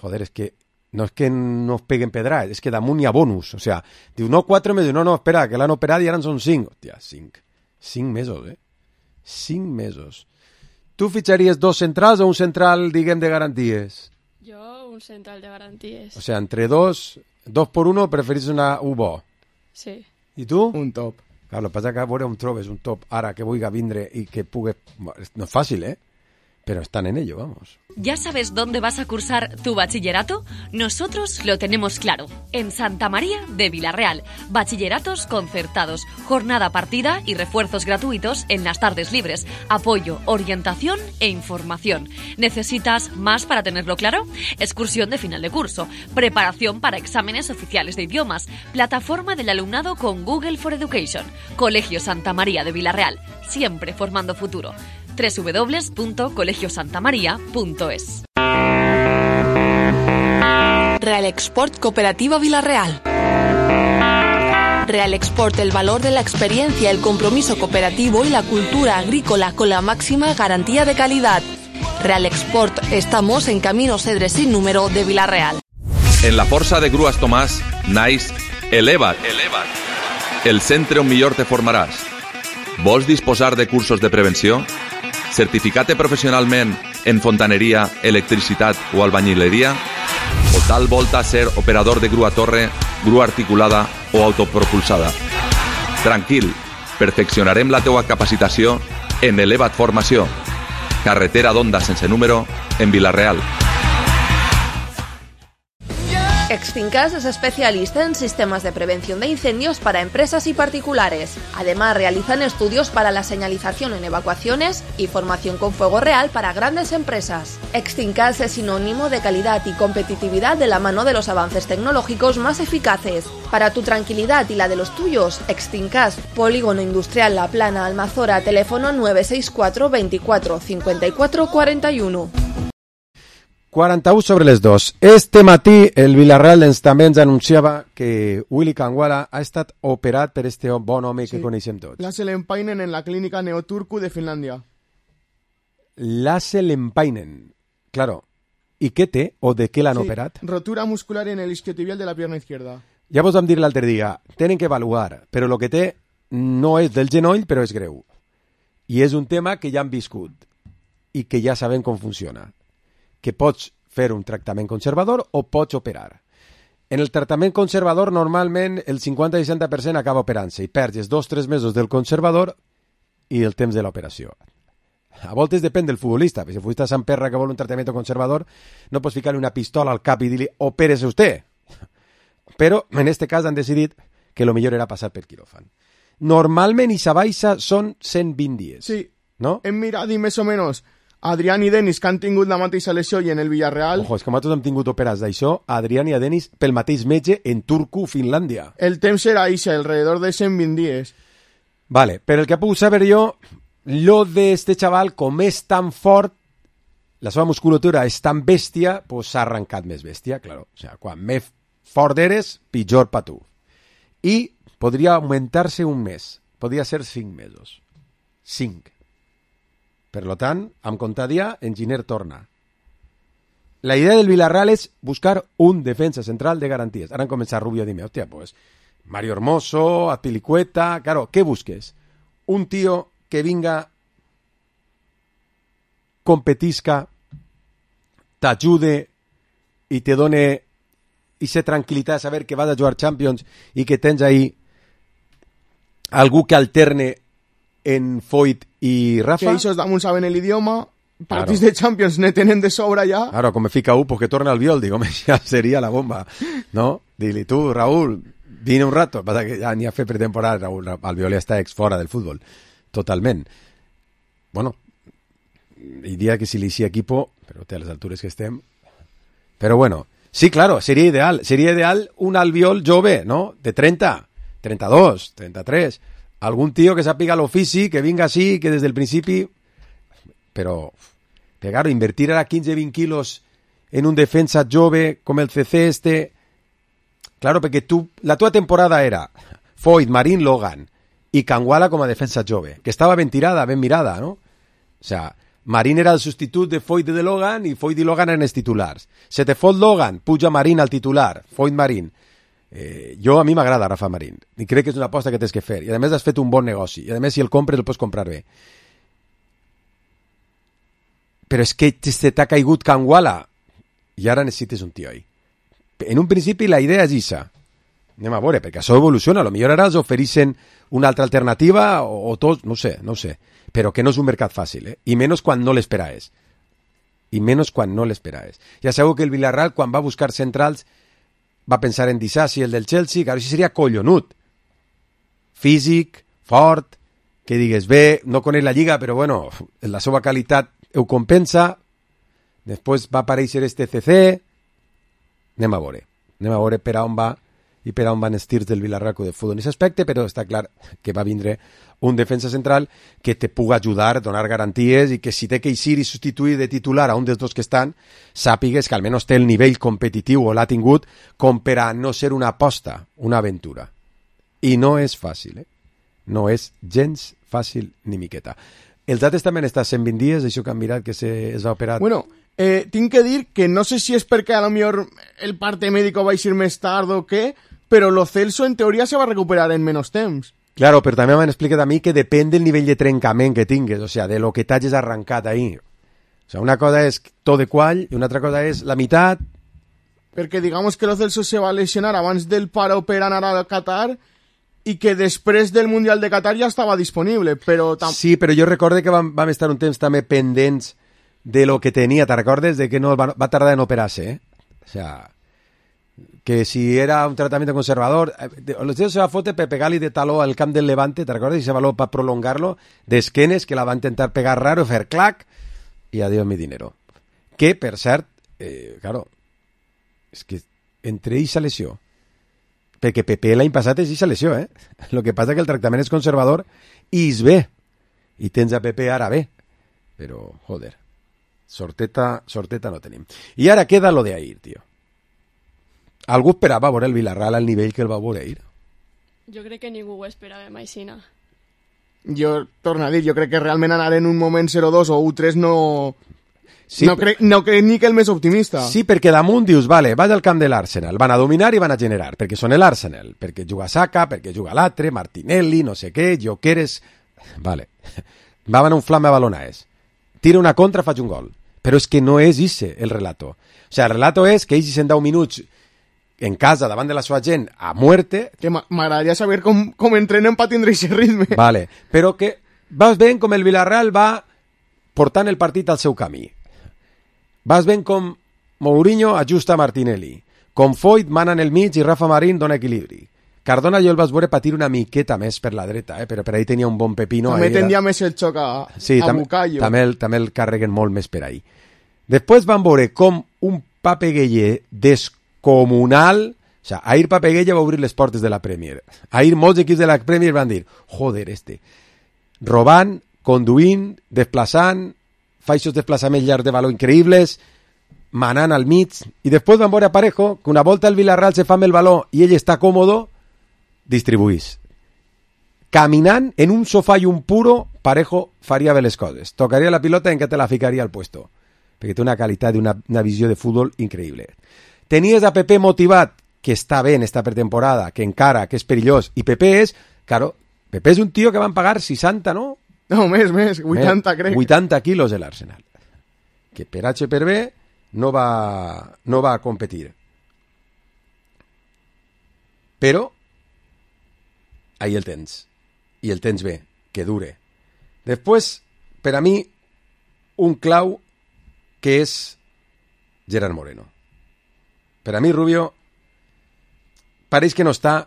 Joder, és que no és que no es peguen pedrats, és que damunt hi ha bonus. O sea, diu, no 4 mesos, no, espera, que l'han operat i ara en són 5. Hòstia, 5. 5 mesos, 5 mesos. Tu fitxaries 2 centrals o un central, diguem, de garanties? Jo, un central de garanties. O sea, entre 2 por 1 preferís un bo. Sí. I tu? Un top. Claro, el que passa que a veure on trobes un top ara que vulgui vindre i que pugui... No és fàcil, pero están en ello, vamos. ¿Ya sabes dónde vas a cursar tu bachillerato? Nosotros lo tenemos claro. En Santa María de Villarreal. Bachilleratos concertados, jornada partida y refuerzos gratuitos en las tardes libres. Apoyo, orientación e información. ¿Necesitas más para tenerlo claro? Excursión de final de curso. Preparación para exámenes oficiales de idiomas. Plataforma del alumnado con Google for Education. Colegio Santa María de Villarreal. Siempre formando futuro. www.colegiosantamaria.es. Real Export Cooperativa Villarreal. Real Export, el valor de la experiencia, el compromiso cooperativo y la cultura agrícola con la máxima garantía de calidad. Real Export, estamos en Camino Cedre sin número de Vila-real. En la Força de Grues Tomàs naix Eleva't, el centre on millor te formaràs. Vols disposar de cursos de prevenció? Certificar-te professionalment en fontaneria, electricitat o albañileria? O tal volta ser operador de grua torre, grua articulada o autopropulsada? Tranquil, perfeccionarem la teua capacitació en Eleva't Formació. Carretera d'Onda sense número en Vila-real. Extincas es especialista en sistemas de prevención de incendios para empresas y particulares. Además, realizan estudios para la señalización en evacuaciones y formación con fuego real para grandes empresas. Extincas es sinónimo de calidad y competitividad de la mano de los avances tecnológicos más eficaces. Para tu tranquilidad y la de los tuyos, Extincas, Polígono Industrial La Plana, Almazora, teléfono 964 24 54 41. 41 sobre les 2. Este matí el Villarreal també ens anunciava que Willy Kangwala ha estat operat per este bon home que coneixem tots. Lasse Lempainen en la clínica Neoturku de Finlàndia. Lasse Lempainen. Claro. I què té o de què l'han operat? Rotura muscular en el isquiotibial de la pierna izquierda. Ja vos vam dir l'altre dia, tenen que avaluar, però el que té no és del genoll, però és greu. I és un tema que ja han viscut i que ja sabem com funciona. Que pots fer un tractament conservador o pots operar. En el tractament conservador, normalment, el 50-60% acaba operant-se i perds 2-3 mesos del conservador i el temps de l'operació. A voltes depèn del futbolista. Si el futbolista s'emperra que vol un tractament conservador, no pots ficar-li una pistola al cap i dir-li opérese usted. Però, en este cas, han decidit que lo millor era passar per quiròfan. Normalment, Issa baixa són 120 dies. Sí, no? Hem mirat i més o menys Adrián i Denis, que han tingut la mateixa lesió i en el Villarreal... Ojo, és que nosaltres hem tingut operats d'això, Adrián i a Denis, pel mateix metge en Turku, Finlàndia. El temps era això, alrededor de 120 dies. Vale, però el que he pogut saber jo, lo d'este xaval, com és tan fort, la seva musculatura és tan bèstia, pues s'ha arrencat més bèstia, claro. O sea, quan més fort eres, pitjor pa tu. I podria augmentar-se un mes, podria ser 5 mesos. 5. Per tant, amb comptadia, Enginyer torna. La idea del Villarreal és buscar un defensa central de garanties. Ara han començat Rubio a dir-me, hòstia, pues, Mario Hermoso, Azpilicueta... Claro, què busques? Un tío que vinga, competisca, t'ajude i te done esa tranquil·litat de saber que vas a jugar Champions i que tens ahí algú que alterne en Foyt i Rafa. Que ells damunt saben l'idioma, partits de Champions ne tenen de sobra ja. Claro, com me fica pues que torna al Viol, digo, ja seria la bomba, ¿no? Dile tú, Raúl, vine un rato, pasa que ja ni ha fet pretemporada, Raúl, Albiol ja està fora del futbol, totalment. Bueno, hi dia que si li hicía equipo, però té a les altures que estem, però bueno, sí, claro, seria ideal un Albiol jove, ¿no? De 30, 32, 33, algún tío que sàpiga l'ofici, que vinga així, que des del principi... Però, claro, invertir ara 15-20 quilos en un defensa jove com el CC este... Claro, perquè la tua temporada era Foyt, Marín, Logan i Kangwala com a defensa jove, que estava ben tirada, ben mirada, ¿no? O sea, Marín era el substitut de Foyt i de Logan i Foyt i Logan eren els titulars. Se te fot Logan, puja Marín al titular, Foyt Marín. A mi m'agrada Rafa Marín i crec que és una aposta que tens que fer i a més has fet un bon negoci i a més si el compres el pots comprar bé, però és que se t'ha caigut Kangwala i ara necessites un tio ahí. En un principi la idea és issa, anem a veure, perquè això evoluciona, potser ara els ofereixen una altra alternativa o tots, no sé, però que no és un mercat fàcil, i menys quan no l'esperaves. Ja sabeu que el Villarreal quan va buscar centrals va pensar en Disasi, el del Chelsea, que ara sí seria collonut. Físic, fort, que digues bé, no coneix la lliga, però bueno, la seva qualitat ho compensa. Després va aparèixer este CC. Anem a veure per on va i per on van els tirs del Villarreal de futbol en aquest aspecte, però està clar que va vindre un defensa central que te pugui ajudar, donar garanties i que si té que eixir i substituir de titular a un dels dos que estan, sàpigues que almenys té el nivell competitiu o l'ha tingut com per a no ser una aposta, una aventura. I no és fàcil, No és gens fàcil ni miqueta. Els altres també han estat 120 dies, això que han mirat que es va operar... Bueno, tinc que dir que no sé si és perquè a lo millor el parte médico va a ir més tard o què, però lo Celso en teoria se va recuperar en menos temps. Claro, però també m'han explicat a mi que depèn del nivell de trencament que tingues, o sea, de lo que t'hagis arrencat ahí. O sea, una cosa és tot de quall i una altra cosa és la meitat. Perquè digamos que lo Celso se va lesionar abans del paro per anar al Qatar i que després del Mundial de Qatar ja estava disponible, però... Sí, però jo recordo que vam estar un temps també pendents de lo que tenia, te'n recordes? De que no va tardar en operar-se, O sea, que si era un tratament conservador... Los tíos se va fotre per pegar-li de taló al camp del Levante, te'n recordes? I se való per prolongar-lo, d'esquenes, que la va intentar pegar raro, fer clac, i adiós mi dinero. Que, per cert, claro, és que entre ells se lesió. Perquè Pepe l'any passat és eixa lesió, El que passa que el tractament és conservador i és bé. I tens a Pepe ara bé. Però, joder, sorteta no tenim. I ara queda lo de Ahir, tio. Algú esperava veure el Villarreal al nivell que el va veure Ahir? Jo crec que ningú ho esperava mai, Sina. Jo, torno a dir, jo crec que realment anar en un moment 0-2 o 1-3 no... Sí, no crec ni que el més optimista. Sí, perquè damunt dius, vale, vaig al camp de l'Arsenal, van a dominar i van a generar, perquè són l'Arsenal, perquè juga Saka, perquè juga l'altre, Martinelli, no sé què, Jokeres... Vale, va anar un flamme a balonaes. Tira una contra, faig un gol. Però és que no és ese el relato. O sea, el relato és que ells 10 minuts en casa, davant de la seva gent, a muerte... Que m'agradaria saber com entrenen per tindre aquest ritme. Vale, però que vas veient com el Villarreal va portant el partit al seu camí. Vas veient com Mourinho ajusta Martinelli, com Foyt mana en el mig i Rafa Marín dona equilibri. Cardona jo el vas veure patir una miqueta més per la dreta, però per ahí tenia un bon pepino. També tenia més el xoc a Bucayo. També el carreguen molt més per ahí. Després van veure com un Papegueye descomunal, o sea, Ahir Papegueye va obrir les portes de la Premier. Ahir molts equips de la Premier van dir, joder, robant, conduint, desplaçant, fa aquests desplaçaments llargs de valor increïbles, manant al mig, i després van veure a Parejo que una volta el Villarreal se fa amb el valor i ell està còmodo, distribuís. Caminant en un sofà i un puro, Parejo faria bé les coses. Tocaria la pilota en què te la ficaria al puesto, perquè té una qualitat i una visió de futbol increïble. Tenies a Pepe motivat, que està bé en esta pretemporada, que encara, que és perillós, i Pepe és, claro, Pepe és un tio que van pagar 60, no? No, més, 80, crec. 80 quilos de l'Arsenal. Que per H per B no va competir. Però ahí el tens. I el tens bé, que dure. Després, per a mi, un clau que és Gerard Moreno. Per a mi, Rubio, pareix que no està,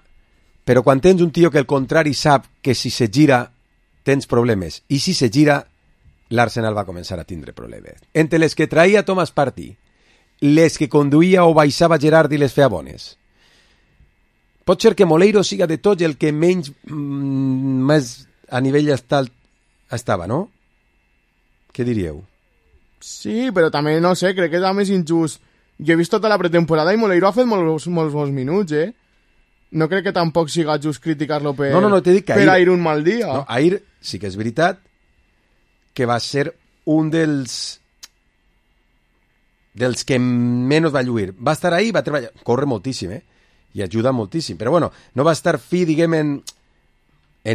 però quan tens un tio que el contrari sap que si se gira tens problemes, i si se gira l'Arsenal va començar a tindre problemes. Entre les que traïa Thomas Partey, les que conduïa o baixava Gerard i les feia bones. Pot ser que Moleiro siga de tots el que menys més a nivell estava, no? Què diríeu? Sí, però també, no sé, crec que és més injust. Jo he vist tota la pretemporada i Moleiro ha fet molts bons minuts, No crec que tampoc siga just criticar-lo per Ahir un mal dia. No, Ahir sí que és veritat que va ser un dels que menys va lluir. Va estar ahí, va treballar, corre moltíssim, i ajuda moltíssim, però bueno, no va estar fi, diguem, en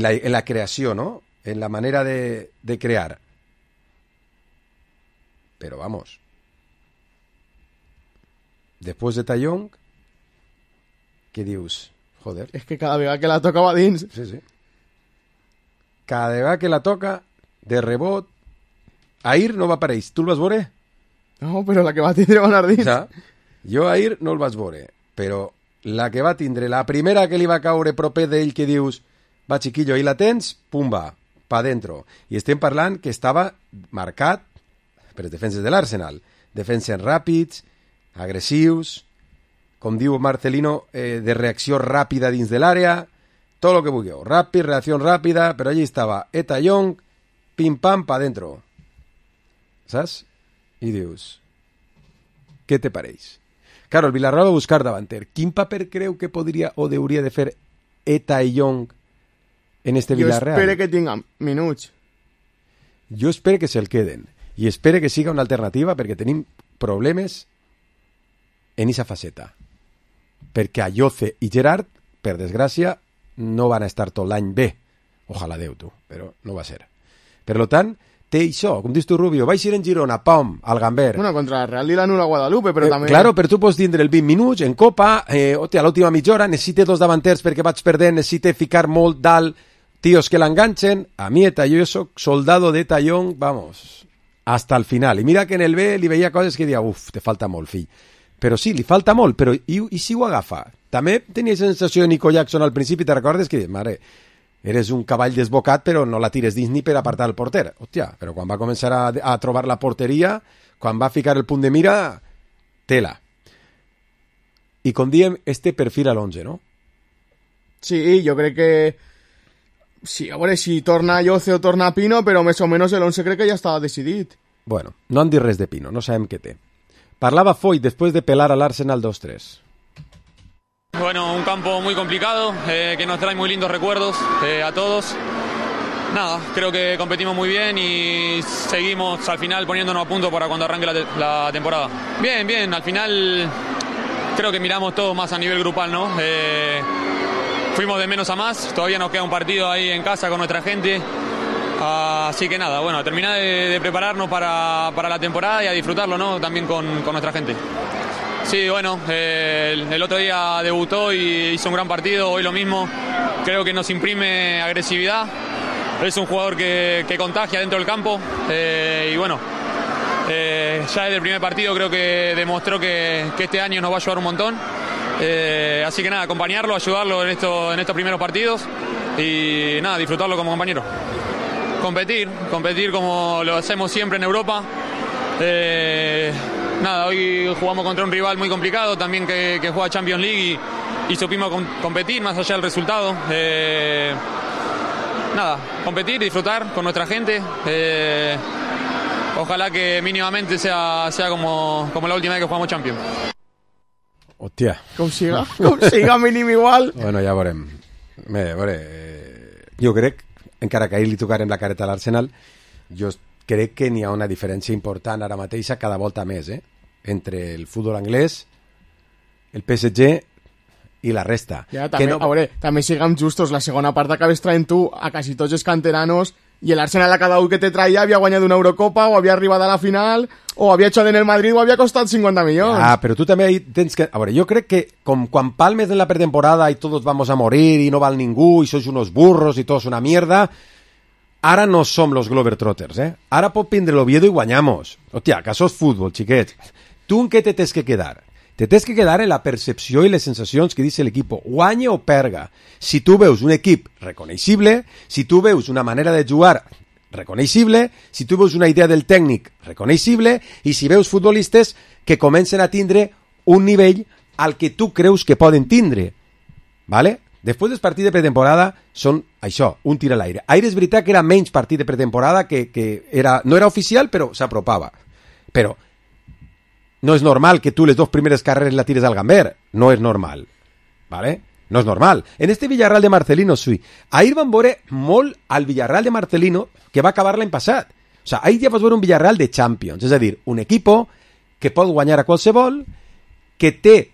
la creació, no? En la manera de crear. Però vamos, després de Tallong, què dius? Joder. És que cada vegada que la toca va dins. Sí. Cada vegada que la toca, de rebot, Ahir no va apareix. Tu el vas veure? No, però la que va tindre va anar dins. Jo Ahir no el vas veure, però la que va tindre, la primera que li va caure proper d'ell que dius, va chiquillo, ahí la tens, pumba, pa dentro. I estem parlant que estava marcat per les defenses de l'Arsenal. Defenses ràpids, agressius, com diu Marcelino, de reacció ràpida dins de l'àrea, tot el que vulgueu. Ràpid, reacció ràpida, però allí estava Eta Young, pim-pam, pa dentro. Saps? I dius, què te pareix? Claro, el Villarreal va buscar davanter. Quin paper creu que podria o hauria de fer Young en este Villarreal? Jo espero que tinguin minuts. Jo espero que se'l queden. I espero que siga una alternativa perquè tenim problemes en esa faceta. Perquè Ayoce i Gerard, per desgràcia, no van a estar tot l'any bé. Ojalà Déu, tu, però no va ser. Per tant, té això, com dius tu, Rubio, vaig ir en Girona, pam, al Gamber. Bueno, contra el Real i la Nula Guadalupe, però també... Claro, però tu pots tindre el 20 minuts en Copa, a l'última mitja hora, necessite 2 davanters perquè vaig perdent, necessite ficar molt dalt tios que l'enganchen. A mi, jo soc soldado de Young, vamos, hasta el final. I mira que en el B li veia coses que deia, uf, te falta molt, fill. Però sí, li falta molt, però i si ho agafa? També tenia sensació de Nico Jackson al principi, te recordes que, mare, eres un cavall desbocat, però no la tires dins ni per apartar el porter. Hòstia, però quan va començar a trobar la porteria, quan va ficar el punt de mira, tela. I com diem, este perfil a l'11, no? Sí, jo crec que... Sí, a veure si torna Ayoce o torna Pino, però més o menys l'11 crec que ja estava decidit. Bueno, no han dit res de Pino, no sabem què té. Parlava Foyt después de pelar al Arsenal 2-3. Bueno, un campo muy complicado, que nos trae muy lindos recuerdos a todos. Nada, creo que competimos muy bien y seguimos al final poniéndonos a punto para cuando arranque la temporada. Bien, bien, al final creo que miramos todo más a nivel grupal, ¿no? Fuimos de menos a más, todavía nos queda un partido ahí en casa con nuestra gente. Así que nada, bueno, a terminar de prepararnos para la temporada y a disfrutarlo, ¿no? También con nuestra gente. Sí, bueno, el otro día debutó y hizo un gran partido, hoy lo mismo. Creo que nos imprime agresividad. Es un jugador que contagia dentro del campo y bueno, ya desde el primer partido creo que demostró que este año nos va a ayudar un montón. Así que nada, acompañarlo, ayudarlo en estos primeros partidos y nada, disfrutarlo como compañero. Competir como lo hacemos siempre en Europa. Nada, hoy jugamos contra un rival muy complicado también que juega Champions League y supimos competir más allá del resultado. Nada, competir, disfrutar con nuestra gente. Ojalá que mínimamente sea como la última vez que jugamos Champions. Hòstia. Com siga mínim igual. Bueno, ja veurem. Jo crec, encara que ahir li tocarem la careta a l'Arsenal, jo crec que n'hi ha una diferència important ara mateix cada volta més, entre el futbol anglès, el PSG i la resta. Ja, també, a veure, també siguem justos, la segona part acabes traient tu a quasi tots els canteranos i l'Arsenal a cada un que te traia havia guanyat una Eurocopa o havia arribat a la final o havia hecho en el Madrid o havia costat 50 milions. Ah, però tu també tens que... A veure, jo crec que com quan palmes en la pretemporada i todos vamos a morir i no val ningú i sois unos burros i todos una mierda, ara no som los Globetrotters, Ara pot vindre l'Oviedo i guanyamos. Hòstia, que això és futbol, xiquets. Tu en què te tens que quedar? Te tens que quedar en la percepció i les sensacions que dice l'equip, guanye o perga. Si tu veus un equip reconeixible, si tu veus una manera de jugar reconeixible, si tu veus una idea del tècnic reconeixible i si veus futbolistes que comencen a tindre un nivell al que tu creus que poden tindre. ¿Vale? Després dels partits de pretemporada són això, un tir a l'aire. Aire és veritat que era menys partit de pretemporada que no era oficial, però s'apropava. Però no és normal que tu les 2 primeres carreres la tires al Gamber. No és normal. ¿Vale? No és normal. En este Villarreal de Marcelino, sí. Ahir van veure molt al Villarreal de Marcelino que va acabar l'any passat. O sea, ahir ja vas veure un Villarreal de Champions. És a dir, un equipo que pot guanyar a qualsevol, que té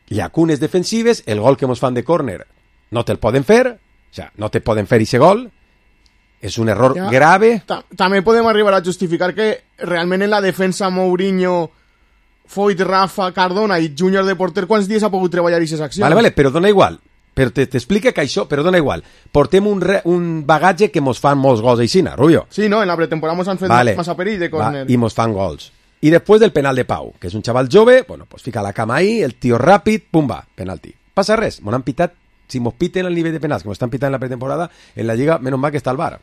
llacunes defensives, el gol que mos fan de córner no te'l poden fer, o sea, no te poden fer ese gol, és un error grave. També podem arribar a justificar que realment en la defensa Mourinho, Foyt, Rafa, Cardona i Júnior de porter, quants dies ha pogut treballar aquestes accions? Vale, però dona igual. Però t'explica que això, però dona igual. Portem un bagatge que mos fan molts gols aixina, Rubio. Sí, no, en la pretemporada mos han fet massa perill de córner. I mos fan gols. I després del penal de Pau, que és un xaval jove, bueno, pues fica la cama ahí, el tio ràpid, pumba, penalti. Passa res, m'ho han pitat, si mos piten el nivell de penals que mos estan pitant en la pretemporada, en la Lliga, menos mal que està al VAR.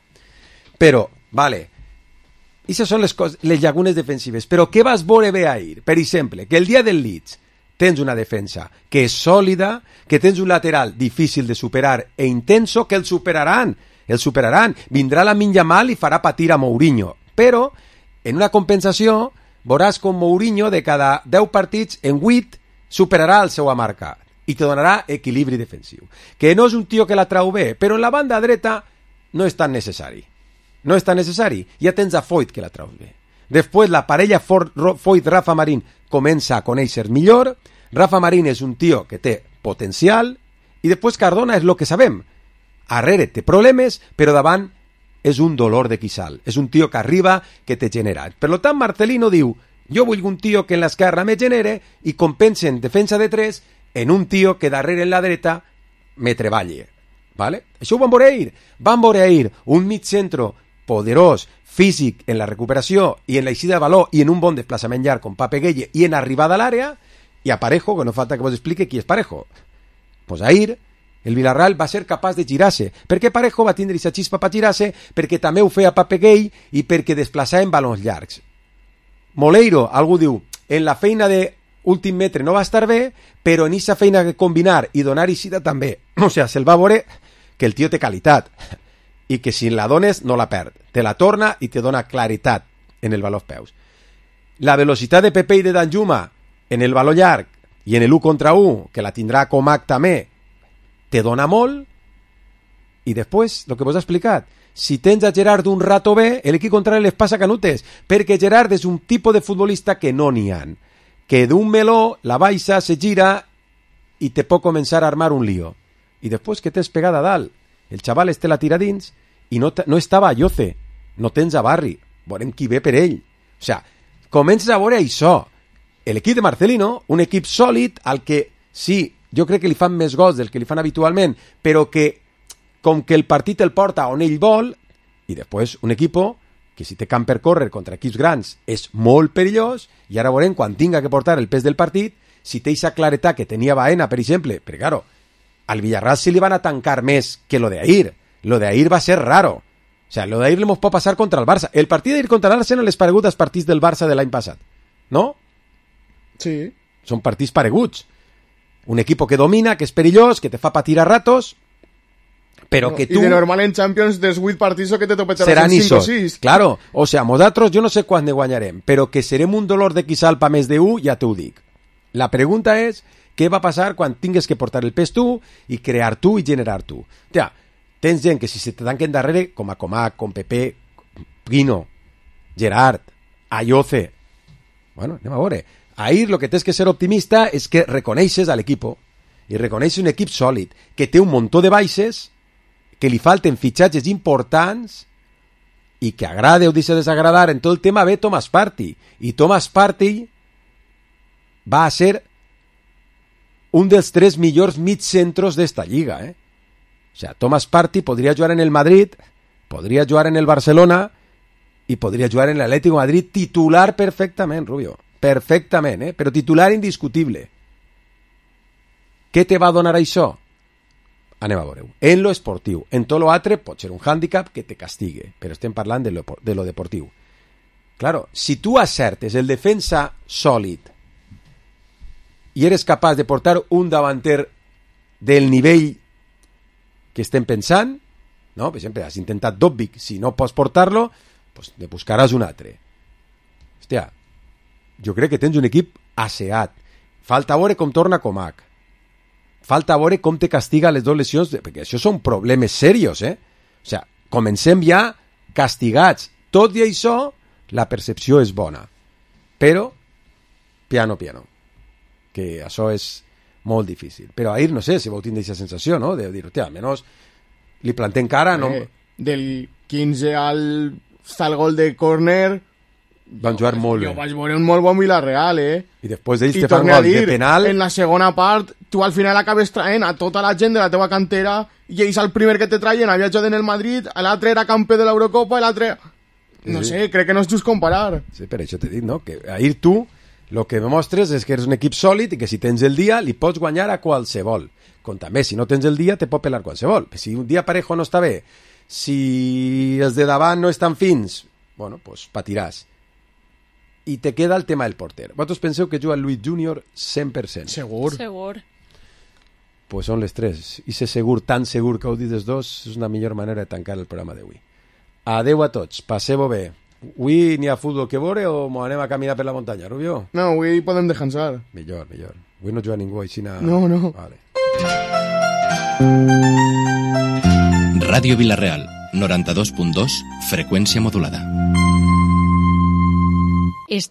Però, vale, aquestes són les llacunes defensives. Però què vas veure bé ahir? Per exemple, que el dia del Leeds tens una defensa que és sòlida, que tens un lateral difícil de superar e intenso, que el superaran. Vindrà la Yamal i farà patir a Mourinho. Però, en una compensació, veuràs com Mourinho de cada 10 partits, en 8, superarà el seu marca. i te donarà equilibri defensiu. Que no és un tio que la trau bé, però en la banda dreta no és tan necessari. No és tan necessari. Ja tens a Foyt que la trau bé. Després la parella Foyt-Rafa Marín comença a conèixer millor. Rafa Marín és un tio que té potencial i després Cardona és el que sabem. Arrere té problemes, però davant és un dolor de quissal. És un tio que arriba, que te genera. Per tant, Marcelino diu, jo vull un tio que en l'esquerra me genere i compense en defensa de 3 en un tio que darrere en la dreta me treballe. ¿Vale? Això ho van veure ahir. Van veure ahir un mig centro poderós, físic en la recuperació i en l'eixida de valor i en un bon desplaçament llarg com Pape Gueye i en arribada a l'àrea, i a Parejo, que no falta que vos explique qui és Parejo. Pues ahir el Villarreal va ser capaç de girar-se. Per què Parejo va tindre aquesta xispa per girar-se? Perquè també ho feia Pape Gueye i perquè desplaçava en balons llargs. Moleiro, algú diu, en la feina de últim metre no va estar bé, però en aquesta feina de combinar i donar eixida també. O sigui, se'l va veure que el tio té qualitat i que si la dones no la perd. Te la torna i te dona claritat en el valor peus. La velocitat de Pepe i de Danjuma en el valor llarg i en el 1 contra 1, que la tindrà Comac també, te dona molt. I després, el que vos he explicat, si tens a Gerard un rato bé, l'equip contrari les passa canutes, perquè Gerard és un tipus de futbolista que no n'hi ha, que d'un meló la baixa, se gira i te pot començar a armar un lío. I després que tens pegada a dalt, el xaval este la tira dins i no estava a Lloce, no tens a Barri, veurem qui ve per ell. O sigui, comences a veure això. L'equip de Marcelino, un equip sòlid al que sí, jo crec que li fan més gols del que li fan habitualment, però que com que el partit el porta on ell vol, i després un equip que si té camp per córrer contra equips grans és molt perillós, i ara veurem quan tinga que portar el pes del partit, si té aquesta claretat que tenia Baena, per exemple, perquè claro, al Villarreal se li van a tancar més que lo de ahir. Lo de ahir va ser raro. O sea, lo de ahir le pot passar contra el Barça. El partit d'ahir contra l'Arsenal és paregut als partits del Barça de l'any passat, no? Sí. Són partits pareguts. Un equip que domina, que és perillós, que te fa patir a ratos, però que tu... I de normal en Champions dels 8 partits que te topetxaràs seran en 5 o isos. 6. Claro, o sea, nosaltres jo no sé quan ne guanyarem, però que serem un dolor de quissal pa més de 1, ja t'ho dic. La pregunta és, què va passar quan tingues que portar el pes tu i crear tu i generar tu? Ja, tens gent que si se te tanquen darrere, com a Comac, com Pepe, Pino, Gerard, Ayoce... Bueno, anem a veure. Ahir lo que tens que ser optimista és que reconeixes a l'equip i reconeixes un equip sòlid, que té un muntó de baixes, que li falten fitxatges importants i que agrade o deixa desagradar en tot el tema ve Thomas Partey. I Thomas Partey va a ser un dels 3 millors mitjacentros d'esta lliga, O sea, Thomas Partey podria jugar en el Madrid, podria jugar en el Barcelona i podria jugar en l'Atlético de Madrid titular perfectament, Rubio. Perfectament, però titular indiscutible. Què te va donar això? Anem a veure-ho. En lo esportiu. En tot lo altre pot ser un hàndicap que te castigue, però estem parlant de lo deportiu. Claro, si tu acertes el defensa sòlid i eres capaç de portar un davanter del nivell que estem pensant, no? Per exemple, has intentat Dobbik, si no pots portar-lo, pues ne buscaràs un altre. Hòstia, jo crec que tens un equip asseat. Falta veure com torna Comac. Falta veure com te castiga les 2 lesions, perquè això són problemes serios, O sea, comencem ja castigats. Tot i això, la percepció és bona. Però, piano, que això és molt difícil. Però ahir, no sé, si vau tindre aquesta sensació, no? De dir, hòstia, almenys li plantem cara, no? Del 15 al gol de córner van jugar molt bé. Jo vaig veure un molt bon Villarreal, I després d'ells te fan gol de penal. En la segona part, tu al final acabes traient a tota la gent de la teva cantera i ells el primer que te traien havia jugat en el Madrid, l'altre era campió de l'Eurocopa i l'altre... No sé, crec que no és just comparar. Sí, per això t'he dit, no? Que ahir tu el que demostres és que eres un equip sòlid i que si tens el dia li pots guanyar a qualsevol. Com també, si no tens el dia, te pot pelar qualsevol. Si un dia Parejo no està bé, si els de davant no estan fins, bueno, pues patiràs. I te queda el tema del porter. Vosaltres penseu que juga Luis Junior 100%? Segur. Pues són les 3. I ser segur, tan segur que heu dit els dos, és una millor manera de tancar el programa d'avui. Adeu a tots, passeu-ho bé. Avui n'hi ha futbol que veure o m'ho anem a caminar per la muntanya, Rubio? No, avui podem descansar. Millor. Avui no juga ningú així. No. Vale. Ràdio Vila-real, 92.2, freqüència modulada. Està